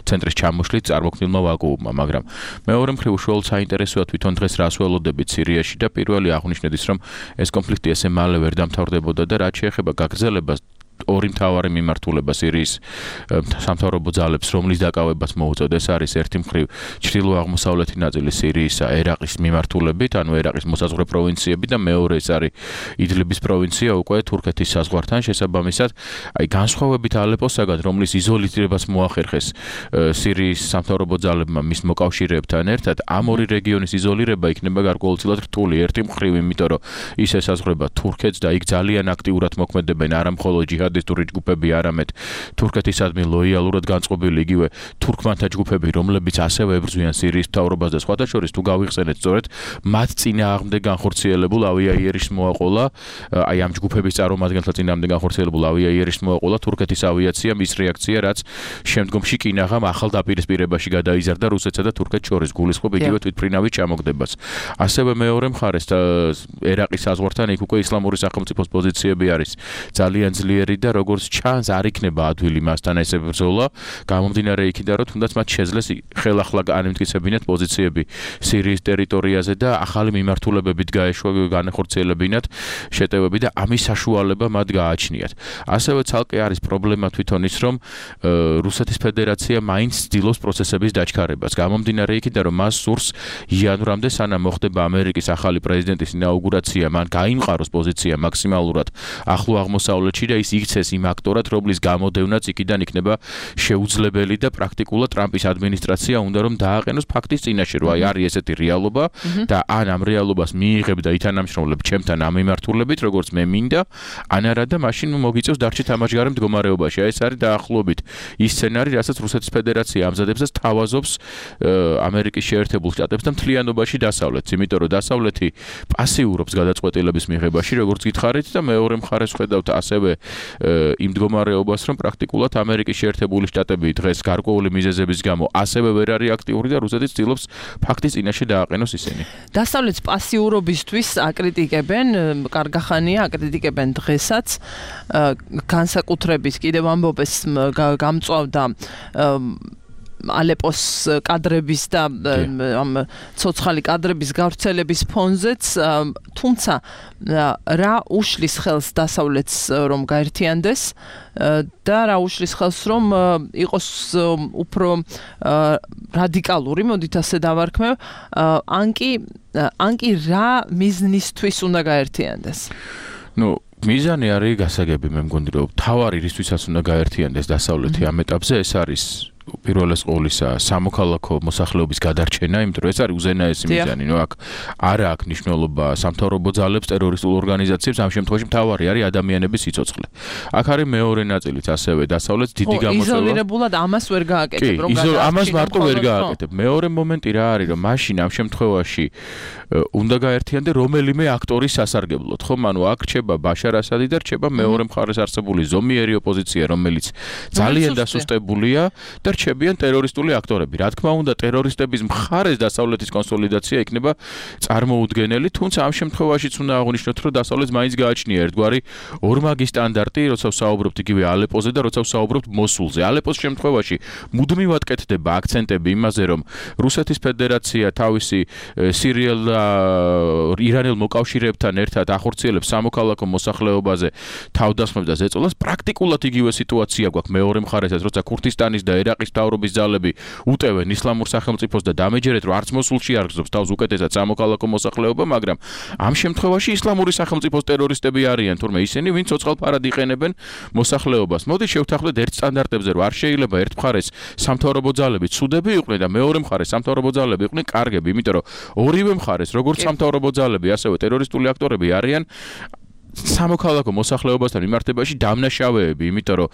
ცენტრის ჩამოშლით წარმოქმნილმა ვაკუუმმა, მაგრამ მეორე მხრივ უშუალოდ საინტერესოა თვითონ დღეს რას ველოდებით სირიაში და პირველი აღნიშნეთ ის რომ ეს კონფლიქტი ესე მალე ვერ დამთავრდებოდა და რაც შეეხება გაგრძელებას ორი მთავარი მიმართულება სირიის სამთავრობო ძალებს, რომლის დაკავებას მოუწოდეს არის ერთი მხრივ ჩრდილო-აღმოსავლეთი ნაწილი სირიისა ერაყის მიმართულებით, ანუ ერაყის მოსაზღვრე პროვინციები და მეორე ეს არის იდლიბის პროვინცია უკვე თურქეთის საზღვართან შესაბამისად, აი განსხვავებით ალეპოსაგან, რომლის იზოლირებას მოახერხეს სირიის სამთავრობო ძალებმა მის მოკავშირეებთან ერთად, ამ ორი რეგიონის იზოლირება იქნება გარკვეულწილად რთული, ერთი მხრივ, იმიტომ რომ ის ესაზღვრება თურქეთს და იქ ძალიან აქტიურად მოქმედებენ არა მხოლოდ ჯიჰადისტური ჯგუფები, არამედ თურქეთისადმი ლოიალურად განწყობილი იგივე თურქმანთა ჯგუფები, რომლებიც ასევე ებრძვიან სირიის მთავრობას და სხვათა შორის თუ გავიხსენეთ სწორედ მათ წინააღმდეგ განხორციელებულ ავიაიერიშს მოაყოლა, აი ამ ჯგუფების წარმომადგენელთა წინააღმდეგ განხორციელებულ ავიაიერიშს მოაყოლა თურქეთის ავიაცია, მის რეაქცია, რაც შემდგომში კინაღამ ახალ დაპირისპირებაში გადაიზარდა რუსეთსა და თურქეთს შორის გულისხმობ იგივე თვითმფრინავის ჩამოგდებას. ასევე მეორე მხარეს ერაყის საზღვართან იქ უკვე ისლამური სახელმწიფოს პოზიციები არის ძალიან ძლიერი და როგორც ჩანს არ იქნება ადვილი მასთან ესე ბრძოლა, გამომდინარე იქიდან რომ თუნდაც მათ შეძლეს ხელახლა განემტკიცებინათ პოზიციები სირიის ტერიტორიაზე და ახალი მიმართულებებით განეხორციელებინათ შეტევები და ამის საშუალება მათ გააჩნიათ. ასევე ცალკე არის პრობლემა თვითონ ის რომ რუსეთის ფედერაცია მაინც ცდილობს პროცესების დაჩქარებას. გამომდინარე იქიდან რომ მას სურს იანვრამდე სანამ მოხდება ამერიკის ახალი პრეზიდენტის ინაუგურაცია, მან გაიმყაროს პოზიცია მაქსიმალურად ახლო აღმოსავლეთში და ის იქცეს იმ აქტორად, რომლის გამოდევნაც იქიდან იქნება შეუძლებელი და პრაქტიკულად ტრამპის ადმინისტრაცია უნდა რომ დააყენოს ფაქტის წინაშე, რომ არის ესეთი რეალობა და ან ამ რეალობას მიიღებ და ითანამშრომლებ ჩემთან ამ მიმართულებით, როგორც მე მინდა, ან არა და მაშინ მოგიწევს დარჩი თამაშგარე მდგომარეობაში. ეს არის დაახლოებით ის სცენარი, რასაც რუსეთის ფედერაცია ამზადებს და თავაზობს ამერიკის შეერთებულ შტატებს და მთლიანობაში დასავლეთს, იმიტომ რომ დასავლეთი პასიურობს გადაწყვეტილების მიღებაში, როგორც გითხარით და მეორე მხარეს ხედავთ ასევე იმ მდგომარეობას, რომ პრაქტიკულად ამერიკის შეერთებული შტატები დღეს გარკვეული მიზეზების გამო ასევე ვერ არის აქტიური და რუსეთი ცდილობს ფაქტის წინაშე დააყენოს ისინი. დასავლეთის პასიურობისთვის აკრიტიკებენ, კარგახანია აკრიტიკებენ დღესაც განსაკუთრებით კიდევ ამბობეს გამწვავდა ალეპოს კადრების და ამ ცოცხალი კადრების გავრცელების ფონზეც, თუმცა რა უშლის ხელს დასავლეთს რომ გაერთიანდეს და რა უშლის ხელს რომ იყოს უფრო რადიკალური, მოდით ასე დავარქმევ, ან კი რა მიზნისთვის უნდა გაერთიანდეს? მიზანი არის გასაგები, მე მგონი რომ თავარი რისთვისაც უნდა გაერთიანდეს დასავლეთი ამ ეტაპზე, ეს არის პირველეს ყოვლისა სამოქალაქო მოსახლეობის გადარჩენა, იმიტომ რომ ეს არის უზენაესი მიზანი. აქ არა აქვს მნიშვნელობა სამთავრობო ძალებს, ტერორისტულ ორგანიზაციებს, ამ შემთხვევაში მთავარი არის ადამიანების სიცოცხლე. აქ არის მეორე ნაწილიც ასევე დასავლეთს დიდი გამოსვლა. იზოლირებულად ამას ვერ გააკეთებ, რომ ამას მარტო ვერ გააკეთებ. მეორე მომენტი რა არის, რომ მაშინ ამ შემთხვევაში უნდა გაერთიანდე რომელიმე აქტორის სასარგებლოდ, ხო? ანუ აქ რჩება ბაშარ ასადი და რჩება მეორე მხარეს არსებული ზომიერი ოპოზიცია, რომელიც ძალიან დასუსტებულია და რჩებიან ტერორისტული აქტორები. რა თქმა უნდა, ტერორისტების მხარეს დასავლეთის კონსოლიდაცია იქნება წარმოუდგენელი, თუმცა ამ შემთხვევაშიც უნდა აღვნიშნოთ, რომ დასავლეთს მაინც გააჩნია ერთგვარი ორმაგი სტანდარტი, როცა ვსაუბრობთ იგივე ალეპოზე და როცა ვსაუბრობთ მოსულზე. ალეპოს შემთხვევაში მუდმივად კეთდება აქცენტები იმაზე, რომ რუსეთის ფედერაცია თავისი სირიელ და ირანელ მოკავშირეებთან ერთად ახორციელებს სამოქალაქო მოსახლეობაზე თავდასხმებს და ზეწოლას. პრაქტიკულად იგივე სიტუაცია გვაქვს მეორე მხარესაც, როცა ქურთისტანის და ერაყის მთავრობის ძალები უტევენ ისლამურ სახელმწიფოს და დამეჯერეთ, რომ არც მოსულში არ გრძობს თავს უკეთესად სამოქალაქო მოსახლეობა, მაგრამ ამ შემთხვევაში ისლამური სახელმწიფოს ტერორისტები არიან, თურმე ისინი, ვინც ცოცხალფარად იყენებენ მოსახლეობას. მოდით შევთანხმდეთ ერთ სტანდარტებზე, რომ არ შეიძლება ერთ მხარეს სამთავრობო ძალები ცუდები იყვნენ და მეორე მხარეს სამთავრობო ძალები იყვნენ კარგები, იმიტომ რომ ორივე მხარეს, როგორც სამთავრობო ძალები, ასევე ტერორისტული აქტორები არიან სამოქალაქო მოსახლეობასთან მიმართებაში დამნაშავეები, იმიტომ რომ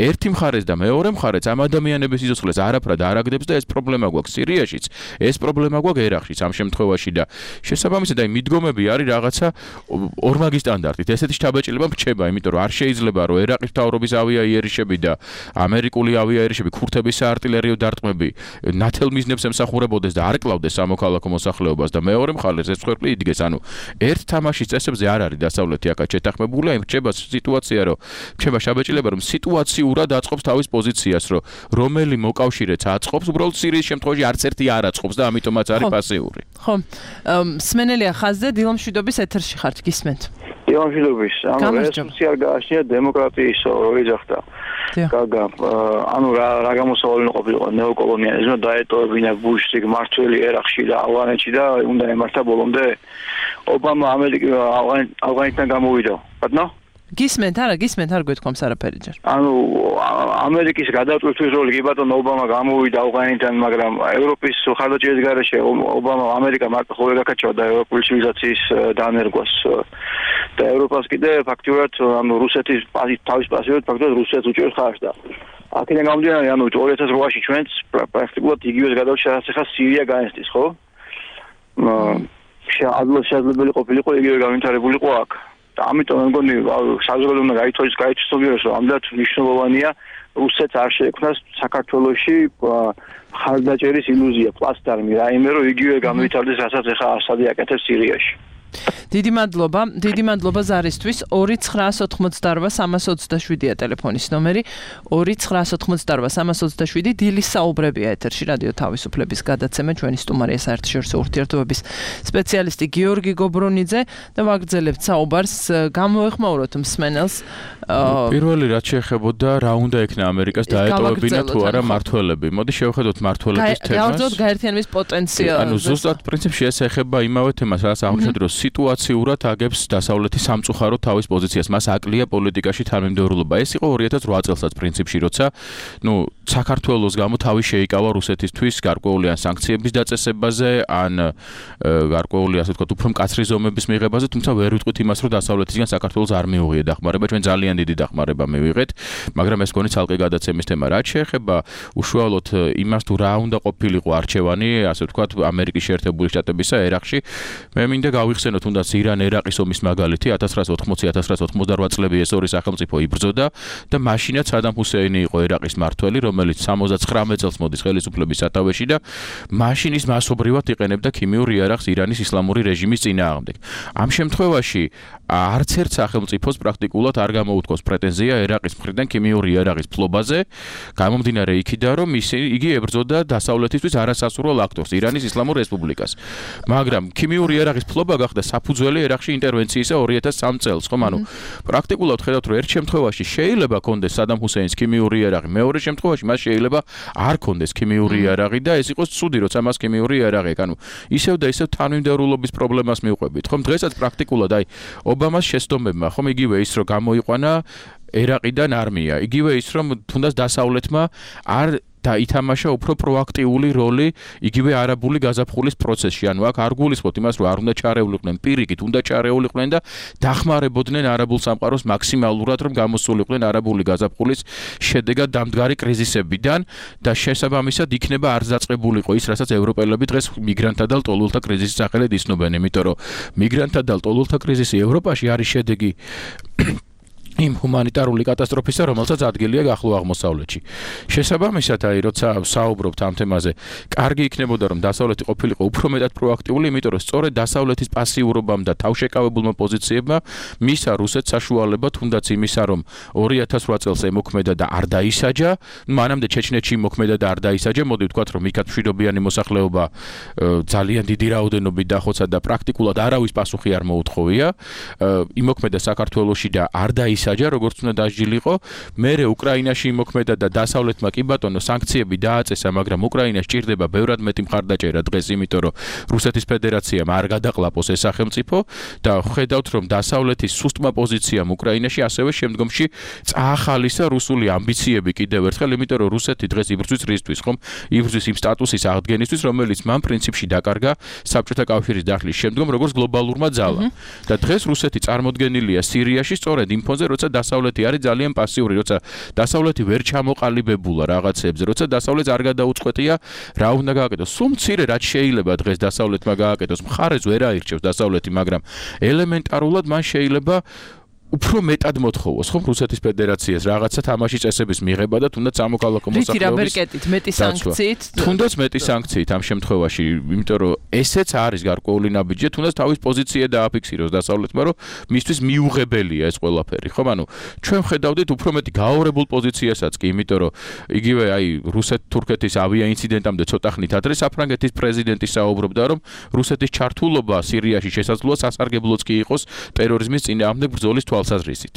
ერთი მხარეს და მეორე მხარეს ამ ადამიანების სიცოცხლეს არაფრად არ აგდებს და ეს პრობლემა გვაქვს სირიაშიც, ეს პრობლემა გვაქვს ერაყშიც ამ შემთხვევაში და შესაბამისად აი მიდგომები არის რაღაცა ორმაგი სტანდარტით. ესეთი შთაბეჭდილება მრჩება, იმიტომ რომ არ შეიძლება რომ ერაყის მთავრობის ავიაიერიშები და ამერიკული ავიაიერიშები ქურთების საარტილერიო დარტყმები ნათელ მიზნებს ემსახურებოდეს და არ კლავდეს სამოქალაქო მოსახლეობას და მეორე მხარეს ეს ხვერპლი იდგეს. ანუ ერთ თამაშის წესებზე არ არის დასავლეთი აქ შეთანხმებული, იმ რჩება სიტუაცია, რომ რჩება შაბეჭდილება, რომ სიტუაციურად აწყობს თავის პოზიციას, რომ რომელი მოკავშირეც აწყობს, უბრალოდ სირიის შემთხვევაში არც ერთი არ აწყობს და ამიტომაც არის პასიური. ხო. სმენელია ხაზზე, დილომშვიდობის ეთერში ხართ, გისმენთ. დილომშვიდობის. ანუ რესურსი არ გააჩნია დემოკრატიის როლი ძახდა. გაგა, ანუ რა გამოსავალი ყოფილიყო ნეოკოლონიალიზმი დაეტოვებინა ბუშს იქ მართველი ერაყში და ავღანეთში და უნდა ემართა ბოლომდე ობამა ავღანეთიდან გამოვიდა. ბატონო? გისმენთ, არა, გისმენთ, არ გვეთქვამს არაფერი ჯერ. ანუ ამერიკის გადაწყვეტვის როლი კი ბატონო ობამა გამოვიდა ავღანეთიდან, მაგრამ ევროპის ხარდაჭერის გარეშე ობამა ამერიკა მარტო ხოლმე გაკაჩვა და ევროპული ცივილიზაციის დანერგვას და ევროპას კიდე ფაქტურად ანუ რუსეთის თავის პასიურად ფაქტურად რუსეთს უჭერს ხარს და აქედან გამომდინარე ანუ 2008-ში ჩვენც პრაქტიკულად იგივეს გადავშა რაც ახლა სირია გაენსტის, ხო? შესაძლებელი ყოფილიყო იგივე განვითარებულიყო აქ. და ამიტომ მე მგონი საზოგადოება უნდა გაიცნობიეროს, რომ ამდენად მნიშვნელოვანია რუსეთს არ შეექმნას საქართველოში ხარდაჭერის ილუზია, პლასტარმი, რაიმე რომ იგივე განვითარდეს, რასაც ახლა ასადი აკეთებს სირიაში. დიდი მადლობა ზარისთვის 2988327-ია ტელეფონის ნომერი 2988327 დილის საუბრებია ეთერში რადიო თავისუფლების გადაცემა ჩვენი სტუმარია საერთაშორისო ურთიერთობების სპეციალისტი გიორგი გობრონიძე და ვაგრძელებთ საუბარს გამოეხმაუროთ მსმენელს პირველი რაც შეეხებოდა რა უნდა ექნა ამერიკას დაეტოვებინა თუ არა მართველები მოდი შევხედოთ მართველების თემას გავაგრძელოთ გაერთიანების პოტენციალს ანუ ზუსტად პრინციპში ეს ეხება იმავე თემას რაც აღმოჩნდა რომ სიტუაციურად აგებს დასავლეთი სამწუხაროდ თავის პოზიციას მას აკლია პოლიტიკაში თანმიმდევრულობა ეს იყო 2008 წელსაც პრინციპში როცა საქართველოს გამო თავი შეიკავა რუსეთისთვის გარკვეული ან სანქციების დაწესებაზე ან გარკვეული ასე ვთქვათ უფრო მკაცრი ზომების მიღებაზე თუმცა ვერ ვიტყვით იმას რომ დასავლეთისგან საქართველოს არ მიუღია დახმარება ჩვენ ძალიან დიდი დახმარება მივიღეთ მაგრამ ეს გონი ცალკე გადაცემის თემა რაც შეეხება უშუალოდ იმას თუ რა უნდა ყოფილიყო არჩევანი ასე ვთქვათ ამერიკის შეერთებული შტატებისა ერაყში მე მინდა გავიხსენოთ თუნდაც ირან-ერაყის ომის მაგალითი 1980-1988 წლები ეს ორი სახელმწიფო იბრძოდა და მაშინაც სადამ ჰუსეინი იყო ერაყის მმართველი რომელიც 79 წელს მოდის ხელისუფლების სათავეში და მაშინ ის მასობრივად იყენებდა ქიმიურ იარაღს ირანის ისლამური რეჟიმის წინააღმდეგ ამ შემთხვევაში არც ერთ სახელმწიფოს პრაქტიკულად არ გამოუთქვას პრეტენზია ერაყის მხრიდან ქიმიური იარაღის ფლობაზე გამომდინარე იქიდან რომ იგი ებრძოდა დასავლეთისთვის არასასურველ აქტორს ირანის ისლამურ რესპუბლიკას მაგრამ ქიმიური იარაღის ფლობა გახდა საფუძველი ერაყში ინტერვენციისა 2003 წელს ხომ ანუ პრაქტიკულად ხედავთ რომ ერთ შემთხვევაში შეიძლება კონდეს სადამ ჰუსეინის ქიმიური იარაღი მეორე შემთხვევაში მას შეიძლება არ კონდეს ქიმიური იარაღი და ეს იყოს ცუდი როცა მას ქიმიური იარაღი აქვს ანუ ისევ და ისევ თანმიმდევრულობის პრობლემას მივყვებით ხომ დღესაც პრაქტიკულად აი ობამას შეცდომებმა ხომ იგივე ის რომ გამოიყვანა ერაყიდან არმია იგივე ის რომ თუნდაც დასავლეთმა არ და ითამაშა უფრო პროაქტიული როლი იგივე არაბული გაზაფხულის პროცესში. ანუ აქ არ გულისხმობთ იმას, რომ არ უნდა ჩარეულიყვნენ პირიქით, უნდა ჩარეულიყვნენ და დახმარებოდნენ არაბულ სამყაროს მაქსიმალურად, რომ გამოსულიყვნენ არაბული გაზაფხულის შედეგად დამდგარი კრიზისებიდან და შესაბამისად იქნება არ დაწყებულიყო ის, რასაც ევროპელები დღეს მიგრანტთა და ლტოლვილთა კრიზისის სახელით იცნობენ, იმიტომ რომ მიგრანტთა და ლტოლვილთა კრიზისი ევროპაში არის შედეგი იმ ჰუმანიტარული კატასტროფისა, რომელსაც ადგილია ახლო აღმოსავლეთში. შესაბამისად, აი, როცა საუბრობთ ამ თემაზე, კარგი იქნებოდა, რომ დასავლეთი ყოფილიყო უფრო მეტად პროაქტიული, იმიტომ რომ სწორედ დასავლეთის პასიურობამ და თავშეკავებულმა პოზიციებმა მისცა რუსეთს საშუალება, თუნდაც იმისა, რომ 2008 წელს ემოქმედა და არ დაისაჯა, მანამდე ჩეჩნეთში მოქმედა და არ დაისაჯა, მოდი ვთქვათ, რომ იქაც მშვიდობიანი მოსახლეობა ძალიან დიდი რაოდენობით დახოცა და პრაქტიკულად არავის პასუხი არ მოუთხოვია. იმოქმედა საქართველოში და არ დაისაჯა როგორც უნდა დასჯილიყო, მერე უკრაინაში იმოქმედა და დასავლეთმა კი ბატონო სანქციები დააწესა, მაგრამ უკრაინას ჭირდება ბევრად მეტი მხარდაჭერა დღეს, იმიტომ რომ რუსეთის ფედერაციამ არ გადაყლაპოს ეს სახელმწიფო და ხედავთ რომ დასავლეთის სუსტმა პოზიციამ უკრაინაში ასევე შემდგომში წაახალისა რუსული ამბიციები კიდევ ერთხელ, იმიტომ რომ რუსეთი დღეს იბრძვის რისთვის, ხომ? იბრძვის იმ სტატუსის აღდგენისთვის, რომელიც მან პრინციპში დაკარგა საბჭოთა კავშირის დახლის შემდგომ როგორც გლობალურმა ძალამ. და დღეს რუსეთი წარმოდგენილია სირიაში სწორედ იმ ფონზე, როცა დასავლეთი არის ძალიან პასიური, როცა დასავლეთი ვერ ჩამოყალიბებულა რაღაცებზე, როცა დასავლეთს არ გადაუწყვეტია რა უნდა გააკეთოს. სულ მცირე რაც შეიძლება დღეს დასავლეთმა გააკეთოს, მხარეს ვერ აირჩევს დასავლეთი, მაგრამ ელემენტარულად მან შეიძლება უფრო მეტად მოთხოვოს, ხომ რუსეთის ფედერაციას რაღაცა თამაშის წესების მიღება და თუნდაც სამოქალაქო მოსახლეობის მეტი სანქციით, თუნდაც მეტი სანქციით ამ შემთხვევაში, იმიტომ რომ ესეც არის გარკვეული ნაბიჯი, თუნდაც თავის პოზიცია დააფიქსიროს დასავლეთმა, რომ მისთვის მიუღებელია ეს ყველაფერი, ხომ? ანუ ჩვენ ხედავდით უფრო მეტი გააორებულ პოზიციასაც კი, იმიტომ რომ იგივე აი რუსეთ-თურქეთის ავია ინციდენტამდე ცოტა ხნით ადრე საფრანგეთის პრეზიდენტი საუბრობდა, რომ რუსეთის ჩართულობა სირიაში შესაძლოა სასარგებლოც კი იყოს ტერორიზმის წინააღმდეგ ბრძოლის თვალსაზრისით.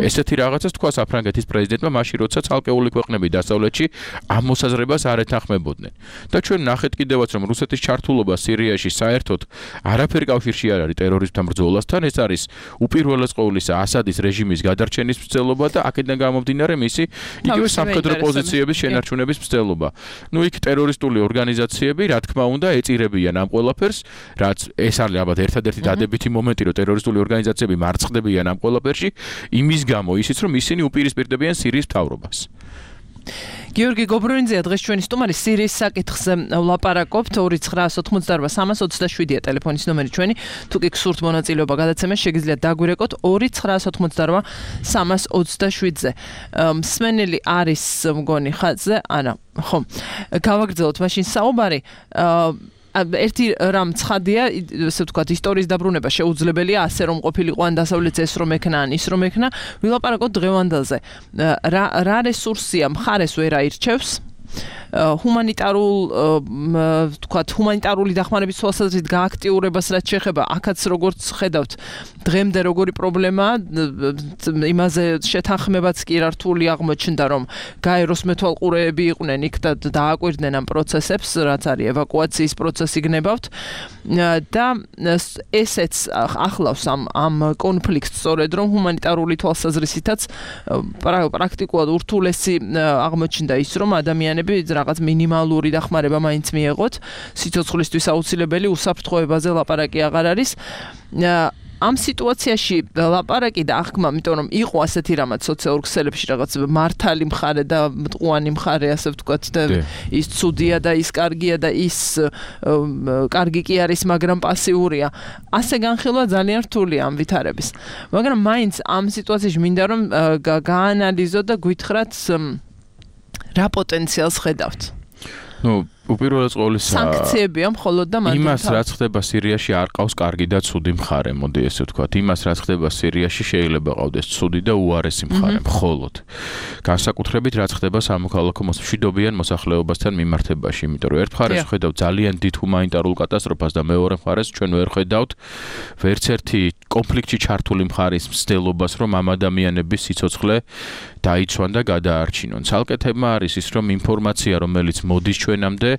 ესეთი რაღაცას თქვა საფრანგეთის პრეზიდენტმა მაშინ, როცა ცალკეული ქვეყნები დასავლეთში ამ მოსაზრებას არ ეთანხმებოდნენ. და ჩვენ ნახეთ კიდევაც, რომ რუსეთის ჩართულობა სირიაში საერთოდ არაფერი კავშირში არ არის ტერორიზმთან ბრძოლასთან, ეს არის უპირველეს ყოვლისა ასადის რეჟიმის გადარჩენის მცდელობა და აქედან გამომდინარე მისი იგივე სამხედრო პოზიციების შენარჩუნების მცდელობა. ნუ იქ ტერორისტული ორგანიზაციები, რა თქმა უნდა, ეწირებიან ამ ყველაფერს, რაც ეს არის ალბათ ერთადერთი დადებითი მომენტი, რომ ტერორისტული ორგანიზაციები მარცხდებიან ამ ყველაფერში, იმის გამო ისიც, რომ ისინი უპირისპირდებიან სირიის მთავრობას. გიორგი გობრონიძეა დღეს ჩვენი სტუმარი, სირიის საკითხზე ვლაპარაკობთ. 2988327-ია ტელეფონის ნომერი ჩვენი. თუ კი გსურთ მონაწილეობა გადაცემაში, შეგიძლიათ დაგვირეკოთ 2988327-ზე. მსმენელი არის მგონი ხაზზე, არა, ხო. გავაგრძელოთ მაშინ საუბარი. ერთი რამ ცხადია, ესე ვთქვათ, ისტორიის დაბრუნება შეუძლებელია, ასე რომ ყოფილიყო ან დასავლეთს ეს რომ ექნა, ან ის რომ ექნა, ვილაპარაკოთ დღევანდელზე. რა რესურსია მხარეს ვერ აირჩევს? ჰუმანიტარული დახმარების თვალსაზრისით გააქტიურებას რაც შეეხება, აქაც როგორც ხედავთ, დღემდე როგორი პრობლემაა, იმაზე შეთანხმებაც კი რართული აღმოჩნდა, რომ გაეროს მეთვალყურეები იყვნენ იქ და დააკვირდნენ ამ პროცესებს, რაც არის ევაკუაციის პროცესი გნებავთ და ესეც ახლავს ამ კონფლიქტს სწორედ, რომ ჰუმანიტარული თვალსაზრისითაც პრაქტიკულად ურთულესი აღმოჩნდა ის, რომ ადამიანები რაღაც მინიმალური დახმარება მაინც მიეღოთ, სიცოცხლისთვის აუცილებელი უსაფრთხოებაზე ლაპარაკი აღარ არის. ამ სიტუაციაში ლაპარაკი და აღქმა, იმიტომ რომ იყო ასეთი რამაც სოციალურ ქსელებში რაღაც მართალი მხარე და მტყუანი მხარე, ასე ვთქვათ, და ის ცუდია და ის კარგია და ის კარგი კი არის, მაგრამ პასიურია. ასე განხილვა ძალიან რთულია ამ ვითარების. მაგრამ მაინც ამ სიტუაციაში მინდა რომ გაანალიზოთ და გვითხრათ რა პოტენციალს ხედავთ? უპირველეს ყოვლისა სანქციებია მხოლოდ და მანდ იმას რაც ხდება სირიაში არ ყავს კარგი და ცუდი მხარე, მოდი ესე ვთქვათ. იმას რაც ხდება სირიაში შეიძლება ყავდეს ცუდი და უარესი მხარე, მხოლოდ. განსაკუთრებით რაც ხდება სამოქალაქო მშვიდობიან მოსახლეობასთან მიმართებაში, იმიტომ რომ ერთ მხარეს ვხედავთ ძალიან დიდ ჰუმანიტარულ კატასტროფას და მეორე მხარეს ჩვენ ვერ ხედავთ ვერც ერთი კონფლიქტში ჩართული მხარის მცდელობას, რომ ამ ადამიანების სიცოცხლე დაიცვან და გადაარჩინონ. ცალკე თემა არის ის, რომ ინფორმაცია, რომელიც მოდის ჩვენამდე,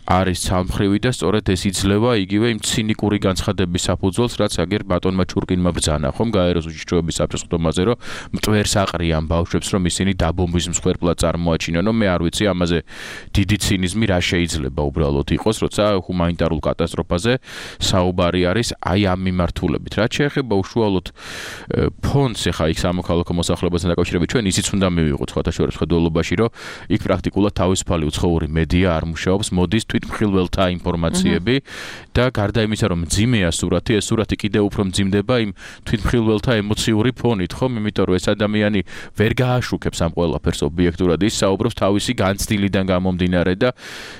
არის ცალმხრივი და სწორედ ეს იძლევა იგივე იმ ცინიკური განცხადების საფუძველს, რაც აგერ ბატონმა ჩურკინმა ბრძანა, ხომ გაეროს უშიშროების საბჭოს ხდომაზე, რომ მტვერს აყრიან ბავშვებს, რომ ისინი დაბომბვის მსხვერპლად წარმოაჩინონ, მე არ ვიცი ამაზე დიდი ცინიზმი რა შეიძლება უბრალოდ იყოს, როცა ჰუმანიტარულ კატასტროფაზე საუბარი არის აი ამ მიმართულებით. რაც შეეხება უშუალოდ ფონდს, ეხა იქ სამოქალაქო მოსახლეობასთან დაკავშირებით ჩვენ ისიც უნდა მივიღოთ სხვადასხვა ხედველობაში, რომ იქ პრაქტიკულად თავისუფალი უცხოური მედია არ მუშაობს, მოდის თვითმხილველთა ინფორმაციები და გარდა იმისა, რომ მძიმეა სურათი, ეს სურათი კიდევ უფრო მძიმდება იმ თვითმხილველთა ემოციური ფონით, ხომ? იმიტომ რომ ეს ადამიანი ვერ გააშუქებს ამ ყველაფერს ობიექტურად, ის საუბრობს თავისი განცდილიდან გამომდინარე და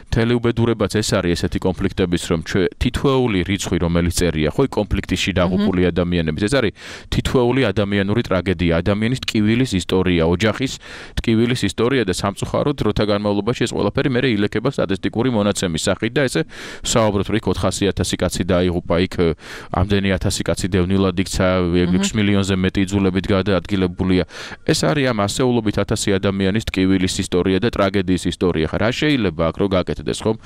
მთელი უბედურებაც ეს არის ესეთი კონფლიქტების, რომ თითოეული რიცხვი, რომელიც წერია, ხო, კონფლიქტში დაღუპული ადამიანების, ეს არის თითოეული ადამიანური ტრაგედია, ადამიანის ტკივილის ისტორია, ოჯახის ტკივილის ისტორია და სამწუხაროდ დროთა განმავლობაში ეს ყველაფერი მე ილექება სტატისტიკური მონაცემის სახით და ესე საუბრობთ, რომ იქ 400,000 კაცი დაიღუპა, იქ ამდენი 1000 კაცი დევნილად იქცა, 6 მილიონზე მეტი იძულებით გადაადგილებულია. ეს არის ამ ასეულობით 1000 ადამიანის ტკივილის ისტორია და ტრაგედიის ისტორია. ხა რა შეიძლება აქ რო გაკეთდეს, ხომ?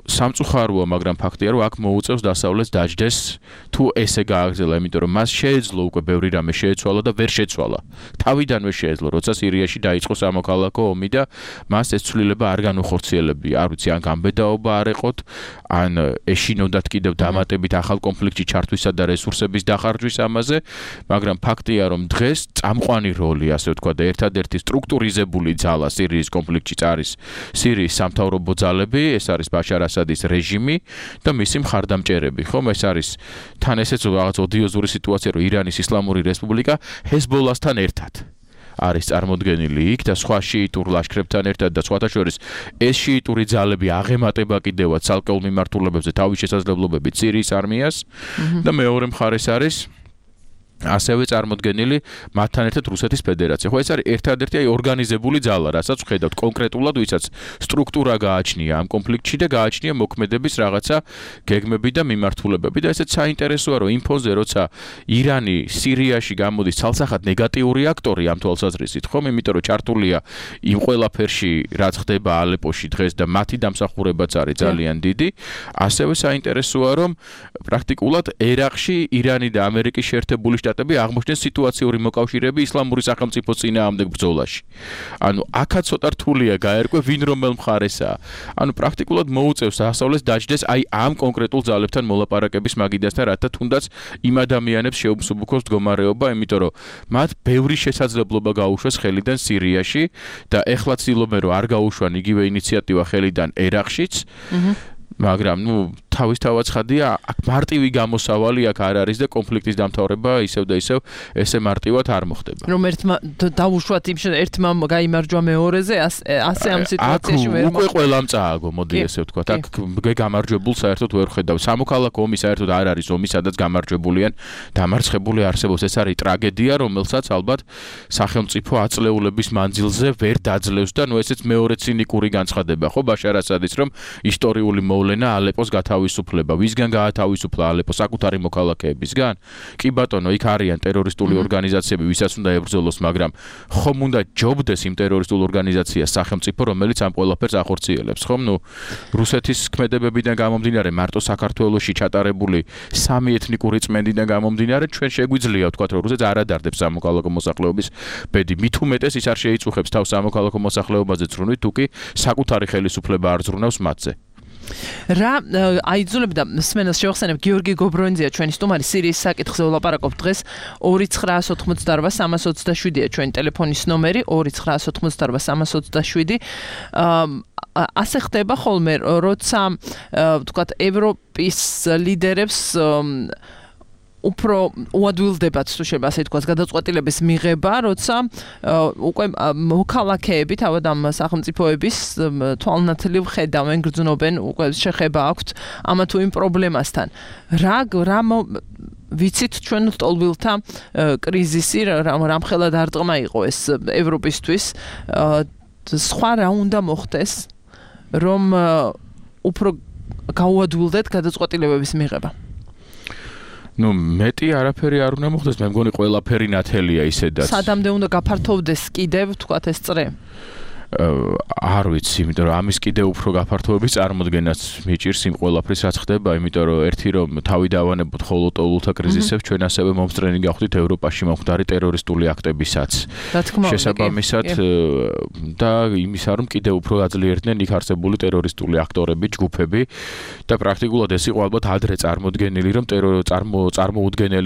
სამწუხაროა, მაგრამ ფაქტია, რომ აქ მოუწევს დასავლეთს დაждდეს თუ ესე გააგრძელა, იმიტომ რომ მას შეეძლო უკვე ბევრი რამე შეეცვალა და ვერ შეცვალა. თავიდანვე შეეძლო, როცა სირიაში დაიწყო სამოქალაქო ომი და მას ეს ცვლილება არ განუხორციელებია. არ ვიცი, ან გამბედაობა არ ეყოთ, ან ეშინოდათ კიდევ დამატებით ახალ კონფლიქტში ჩართვისა და რესურსების დახარჯვის ამაზე, მაგრამ ფაქტია, რომ დღეს წამყვანი როლი, ასე ვთქვათ, და ერთადერთი სტრუქტურიზებული ძალა სირიის კონფლიქტში არის სირიის სამთავრობო ძალები, ეს არის ბაშარ ასადის რეჟიმი და მისი მხარდამჭერები, ხომ? ეს არის თან ესეც რაღაც ოდიოზური სიტუაცია, რომ ირანის ისლამური რესპუბლიკა ჰეზბოლასთან ერთად არის წარმოდგენილი იქ და სხვა შიიტურ ლაშქრებთან ერთად და სხვათა შორის ეს შიიტური ძალები აღემატება კიდევაც ცალკეულ მიმართულებებზე თავის შესაძლებლობებით სირიის არმიას და მეორე მხარეს არის ასევე წარმოდგენილი მათთან ერთად რუსეთის ფედერაცია. ხო, ეს არის ერთადერთი ორგანიზებული ძალა, რასაც ვხედავთ კონკრეტულად, ვისაც სტრუქტურა გააჩნია ამ კონფლიქტში და გააჩნია მოქმედების რაღაცა გეგმები და მიმართულებები და ესეც საინტერესოა, რომ იმ ფონზე, როცა ირანი სირიაში გამოდის ცალსახად ნეგატიური აქტორი ამ თვალსაზრისით, ხომ? იმიტომ რომ ჩართულია იმ ყველაფერში, რაც ხდება ალეპოში დღეს და მათი დამსახურებაც არის ძალიან დიდი, ასევე საინტერესოა, რომ პრაქტიკულად ერაყში ირანი და ამერიკის შეერთებული შტატები აღმოჩნდნენ სიტუაციური მოკავშირეები ისლამური სახელმწიფოს წინააღმდეგ ბრძოლაში. ანუ აქაც ცოტა რთულია გაერკვე ვინ რომელ მხარესაა. ანუ პრაქტიკულად მოუწევს დასავლეთს დაждდეს აი ამ კონკრეტულ ძალებთან მოლაპარაკების მაგიდასთან, რათა თუნდაც იმ ადამიანებს შეუმსუბუქოს მდგომარეობა, იმიტომ რომ მათ ბევრი შესაძლებლობა გაუშვეს ხელიდან სირიაში და ეხლა ცდილობენ რომ არ გაუშვან იგივე ინიციატივა ხელიდან ერაყშიც. მაგრამ თავისთავად ხადია აქ მარტივი გამოსავალი აქ არ არის და კონფლიქტის დამთავრება ისევ და ისევ ესე მარტივად არ მოხდება. რომ ერთმა დაუშვათ ერთმა გაიმარჯვა მეორეზე, ასე ამ სიტუაციაში ვერ მოხდება. უკვე ყველამ წააგო, მოდი ესე ვთქვათ. აქ გამარჯვებულ საერთოდ ვერ ხედავ. სამოქალაქო ომი საერთოდ არ არის ომი, სადაც გამარჯვებულიან, დამარცხებული არსებობს. ეს არის ტრაგედია, რომელსაც ალბათ სახელმწიფო აწლეულების მანძილზე ვერ დაძლევს და ესეც მეორე ცინიკური განცხადება, ხო, ბაშარ ასადის, რომ ისტორიული მოვლენა ალეპოს გათავისუფლება. ვისგან გაათავისუფლა ალეპო საკუთარი მოქალაქეებისგან? კი ბატონო, იქ არიან ტერორისტული ორგანიზაციები, ვისაც უნდა ებრძოლოს, მაგრამ ხომ უნდა ჯობდეს იმ ტერორისტულ ორგანიზაციას სახელმწიფო, რომელიც ამ ყველაფერს ახორციელებს, ხომ? რუსეთის ქმედებებიდან გამომდინარე, მარტო საქართველოში ჩატარებული 3 ეთნიკური წმენდიდან გამომდინარე, ჩვენ შეგვიძლია ვთქვათ, რომ რუსეთს არ ადარდებს სამოქალაქო მოსახლეობის ბედი. მით უმეტეს ის არ შეიწუხებს თავს სამოქალაქო მოსახლეობაზე ზრუნვით, თუ კი საკუთარი ხელისუფლება არ ზრუნავს მათზე. რა აიძულებდა მსმენელს შევახსენებ გიორგი გობრონიძეა ჩვენი სტუმარი სირიის საკითხზე ვლაპარაკობთ დღეს 2988-327-ია ჩვენი ტელეფონის ნომერი 2988-327 ასე ხდება ხოლმე როცა ვთქვათ ევროპის ლიდერებს უფრო უადვილდებათ თუ შეიძლება ასე თქვას გადაწყვეტილების მიღება, როცა უკვე მოქალაქეები თავად ამ სახელმწიფოების თვალნათლივ ხედავენ, გრძნობენ, უკვე შეხება აქვთ ამა თუ იმ პრობლემასთან. რა ვიცით ჩვენ ლტოლვილთა კრიზისი, რამხელად არტყმა იყო ეს ევროპისთვის, სხვა რა უნდა მოხდეს, რომ უფრო გაუადვილდეთ გადაწყვეტილებების მიღება. მეტი არაფერი არ უნდა მოხდეს, მე მგონი ყველაფერი ნათელია ისედაც. სადამდე უნდა გაფართოვდეს კიდევ, ვთქვათ ეს წრე? არ ვიცი, იმიტომ რომ ამის კიდევ უფრო გაფართოების წარმოდგენაც მიჭირს იმ ყველაფრის რაც ხდება, იმიტომ რომ ერთი რომ თავი დავანებოთ ხოლოტოლულთა კრიზისებს, ჩვენ ასევე მომსწრენი გავხდით ევროპაში მომხდარი ტერორისტული აქტებისაც. შესაბამისად და იმისა რომ კიდევ უფრო აძლიერდნენ იქ არსებული ტერორისტული აქტორები, ჯგუფები და პრაქტიკულად ეს იყო ალბათ ადრე წარმოუდგენელი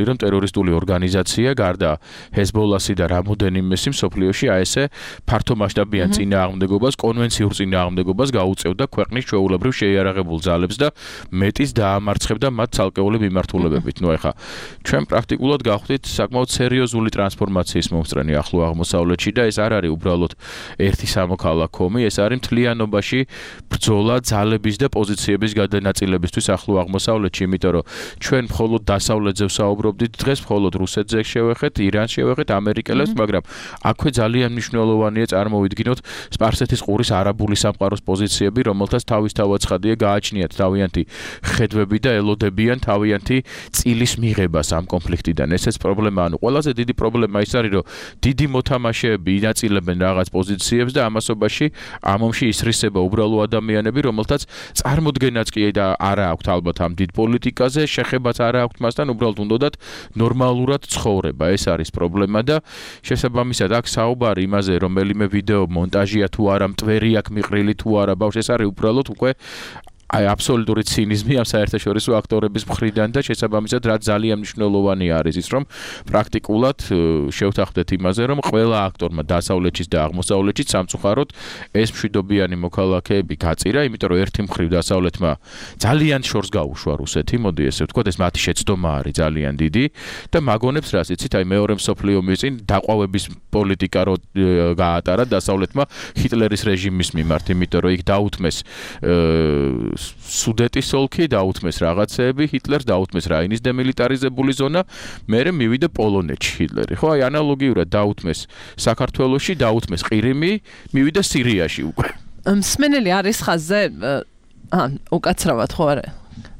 რომ ტერორისტული ორგანიზაცია გარდა ჰეზბოლასი და რამოდენიმესი მსოფლიოში ესე ფართომასშტაბიან წინააღმდეგობას, კონვენციურ წინააღმდეგობას გაუწევდა ქვეყნის ჩვეულებრივ შეიარაღებულ ძალებს და მეტის დაამარცხებდა მათ ცალკეული მიმართულებებით. ეხლა ჩვენ პრაქტიკულად გავხდით საკმაოდ სერიოზული ტრანსფორმაციის მომსწრენი ახლო აღმოსავლეთში და ეს არ არის უბრალოდ ერთი სამოქალაქო ომი, ეს არის მთლიანობაში ბრძოლა ძალების და პოზიციების გადანაწილებისთვის ახლო აღმოსავლეთში, იმიტომ რომ ჩვენ მხოლოდ დასავლეთზე ვსაუბრობდით დღეს, მხოლოდ რუსეთზე შევეხეთ, ირანს შევეხეთ, ამერიკელებს, მაგრამ აქვე ძალიან მნიშვნელოვანია წარმოვიდგინოთ სპარსეთის ყურის არაბული სამყაროს პოზიციები, რომელთაც თავისთავად ცხადია გააჩნიათ თავიანთი ხედვები და ელოდებიან თავიანთი წილის მიღებას ამ კონფლიქტიდან. ესეც პრობლემა, ყველაზე დიდი პრობლემა ის არის, რომ დიდი მოთამაშეები ინაწილებენ რაღაც პოზიციებს და ამასობაში ამ ომში ისრისება უბრალო ადამიანები, რომელთაც წარმოდგენაც კი და არა აქვთ ალბათ ამ დიდ პოლიტიკაზე, შეხებაც არა აქვთ მასთან, უბრალოდ უნდათ ნორმალურად ცხოვრება. ეს არის პრობლემა და შესაბამისად აქ საუბარი იმაზე, რომელიმე ვიდეო მონტაჟია თუ არა, მტვერი აქვს მიყრილი თუ არა, ბავშვი, ეს არის უბრალოდ უკვე აბსოლუტური ცინიზმი ამ საერთაშორისო აქტორების მხრიდან და შესაბამისად რაც ძალიან მნიშვნელოვანი არის ის, რომ პრაქტიკულად შევთანხმდეთ იმაზე, რომ ყველა აქტორმა დასავლეთშიც და აღმოსავლეთშიც სამწუხაროდ ეს მშვიდობიანი მოქალაქეები გაწირა, იმიტომ რომ ერთი მხრივ დასავლეთმა ძალიან შორს გაუშვა რუსეთი, მოდი ესე ვთქვათ, ეს მათი შეცდომა არის ძალიან დიდი და მაგონებს რას იცით, აი მეორე მსოფლიო ომის წინ დაყვავების პოლიტიკა რო გაატარა დასავლეთმა ჰიტლერის რეჟიმის მიმართ, იმიტომ რომ იქ დაუთმეს სუდეტის ოლქი დაუთმეს რაღაცეები, ჰიტლერს დაუთმეს რაინის დემილიტარიზებული ზონა, მერე მივიდა პოლონეთში ჰიტლერი. ხო, აი ანალოგიურად დაუთმეს საქართველოში, დაუთმეს ყირიმი, მივიდა სირიაში უკვე. მსმენელი არის ხაზზე უკაცრავად ხო არა?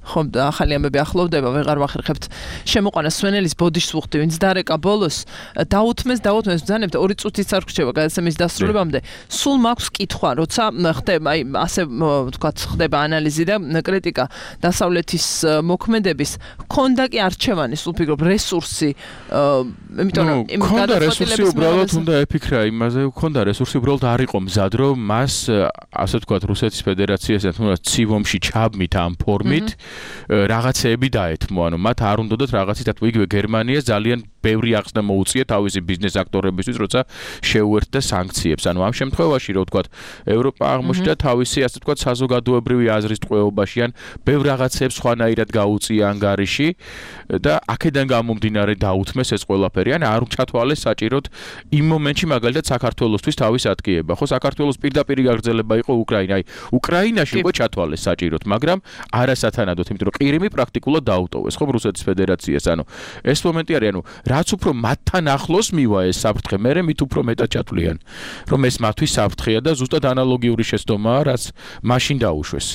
ხო, ახალი ამბები ახლოვდება, ვეღარ ვახერხებთ შემოყვანას სვენელის ბოდიშს ვუხდი, ვინც დარეკა ბოლოს, დაუთმეს, ბრძანებთ 2 წუთიც არ რჩება გადაცემის დასრულებამდე. სულ მაქვს კითხვა, როცა ხდება, აი, ასე ვთქვათ, ხდება ანალიზი და კრიტიკა დასავლეთის მოქმედების, ქონდა კი არჩევანი, სულ ფიქრობ, რესურსი, იმიტომ რომ იმ გადაწყვეტილების უბრალოდ უნდა ეფიქრა იმაზე, ქონდა რესურსი, უბრალოდ არ იყო მზად, რომ მას, ასე ვთქვათ, რუსეთის ფედერაციასთან თუნდაც ცივ ომში ჩაბმით ამ ფორმით რაღაცეები დაეთმო, ანუ მათ არ უნდათ რაღაცით, იგივე გერმანიას ძალიან ბევრი აღწნა მოუწია თავისი ბიზნეს აქტორებისთვის, როცა შეუერთდა სანქციებს. ანუ ამ შემთხვევაში, რო ვთქვათ, ევროპა აღმოჩნდა თავისი, ასე ვთქვათ, საზოგადოებრივი აზრის ტყვეობაში ან ბევრ რაღაცებს სხვანაირად გაუწია ანგარიში და აქედან გამომდინარე დაუთმეს ეს ყველაფერი. ან არ ჩათვალეს საჭიროდ იმ მომენტში მაგალითად საქართველოსთვის თავის ატკიება. ხო, საქართველოს პირდაპირი გაგრძელება იყო უკრაინა. აი, უკრაინაში უკვე ჩათვალეს საჭიროდ, მაგრამ არასათანადოდ, იმიტომ რომ ყირიმი პრაქტიკულად დაუტოვეს, ხო, რუსეთის ფედერაციას. ანუ ეს მომენტი არის, ანუ რაც უფრო მათთან ახლოს მივა ეს საფრთხე, მერე მით უფრო მეტად ჩათვლიან, რომ ეს მათთვის საფრთხეა და ზუსტად ანალოგიური შეცდომაა, რაც მაშინ დაუშვეს.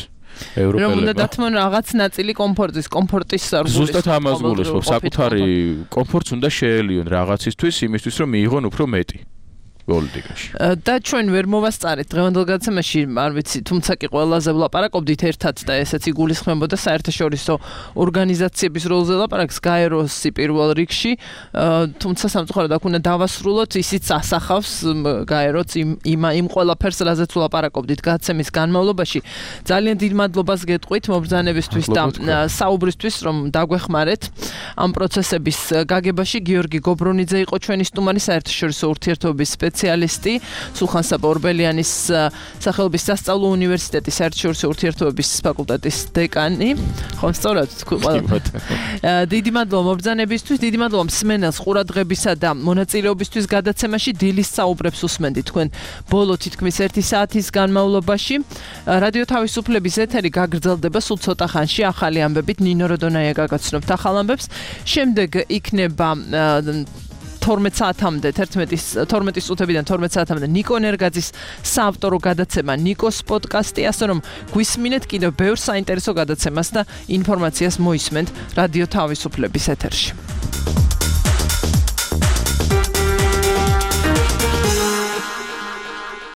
რომ უნდა დათმონ რაღაც ნაწილი კომფორტის სარგულის. ზუსტად ამას გულისხმობ, საკუთარი კომფორტს უნდა შეელიონ რაღაცისთვის, იმისთვის რომ მიიღონ უფრო მეტი. პოლიტიკაში. და ჩვენ ვერ მოვასწარეთ დღევანდელ გადაცემაში, არ ვიცი, თუმცა კი ყველაზე ვლაპარაკობდით ერთად და ესეც იგულისხმებოდა საერთაშორისო ორგანიზაციების როლზე ლაპარაკს გაეროსი პირველ რიგში, თუმცა სამწუხაროდ აქ უნდა დავასრულოთ, ისიც ასახავს გაეროც იმ ყველაფერს, რაზეც ვლაპარაკობდით გადაცემის განმავლობაში. ძალიან დიდ მადლობას გეტყვით მობრძანებისთვის და საუბრისთვის, რომ დაგვეხმარეთ ამ პროცესების გაგებაში. გიორგი გობრონიძე იყო ჩვენი სტუმარი, საერთაშორისო ურთიერთობების სპეციალისტი, სულხან-საბა ორბელიანის სახელობის სასწავლო უნივერსიტეტის საერთაშორისო ურთიერთობების ფაკულტეტის დეკანი. ხო, სწორად თქვი ყველა. დიდი მადლობა მობრძანებისთვის, დიდი მადლობა მსმენელს ყურადღებისა და მონაწილეობისთვის გადაცემაში. დილის საუბრებს უსმენდით თქვენ ბოლო თითქმის 1 საათის განმავლობაში. რადიო თავისუფლების ეთერი გაგრძელდება სულ ცოტა ხანში ახალი ამბებით. ნინო როდონაია გაგაცნობთ ახალ ამბებს. შემდეგ იქნება 12 საათამდე 12 წუთებიდან 12 საათამდე ნიკო ნერგაძის საავტორო გადაცემა ნიკოს პოდკასტი, ასე რომ გვისმინეთ კიდევ ბევრ საინტერესო გადაცემას და ინფორმაციას მოისმენთ რადიო თავისუფლების ეთერში.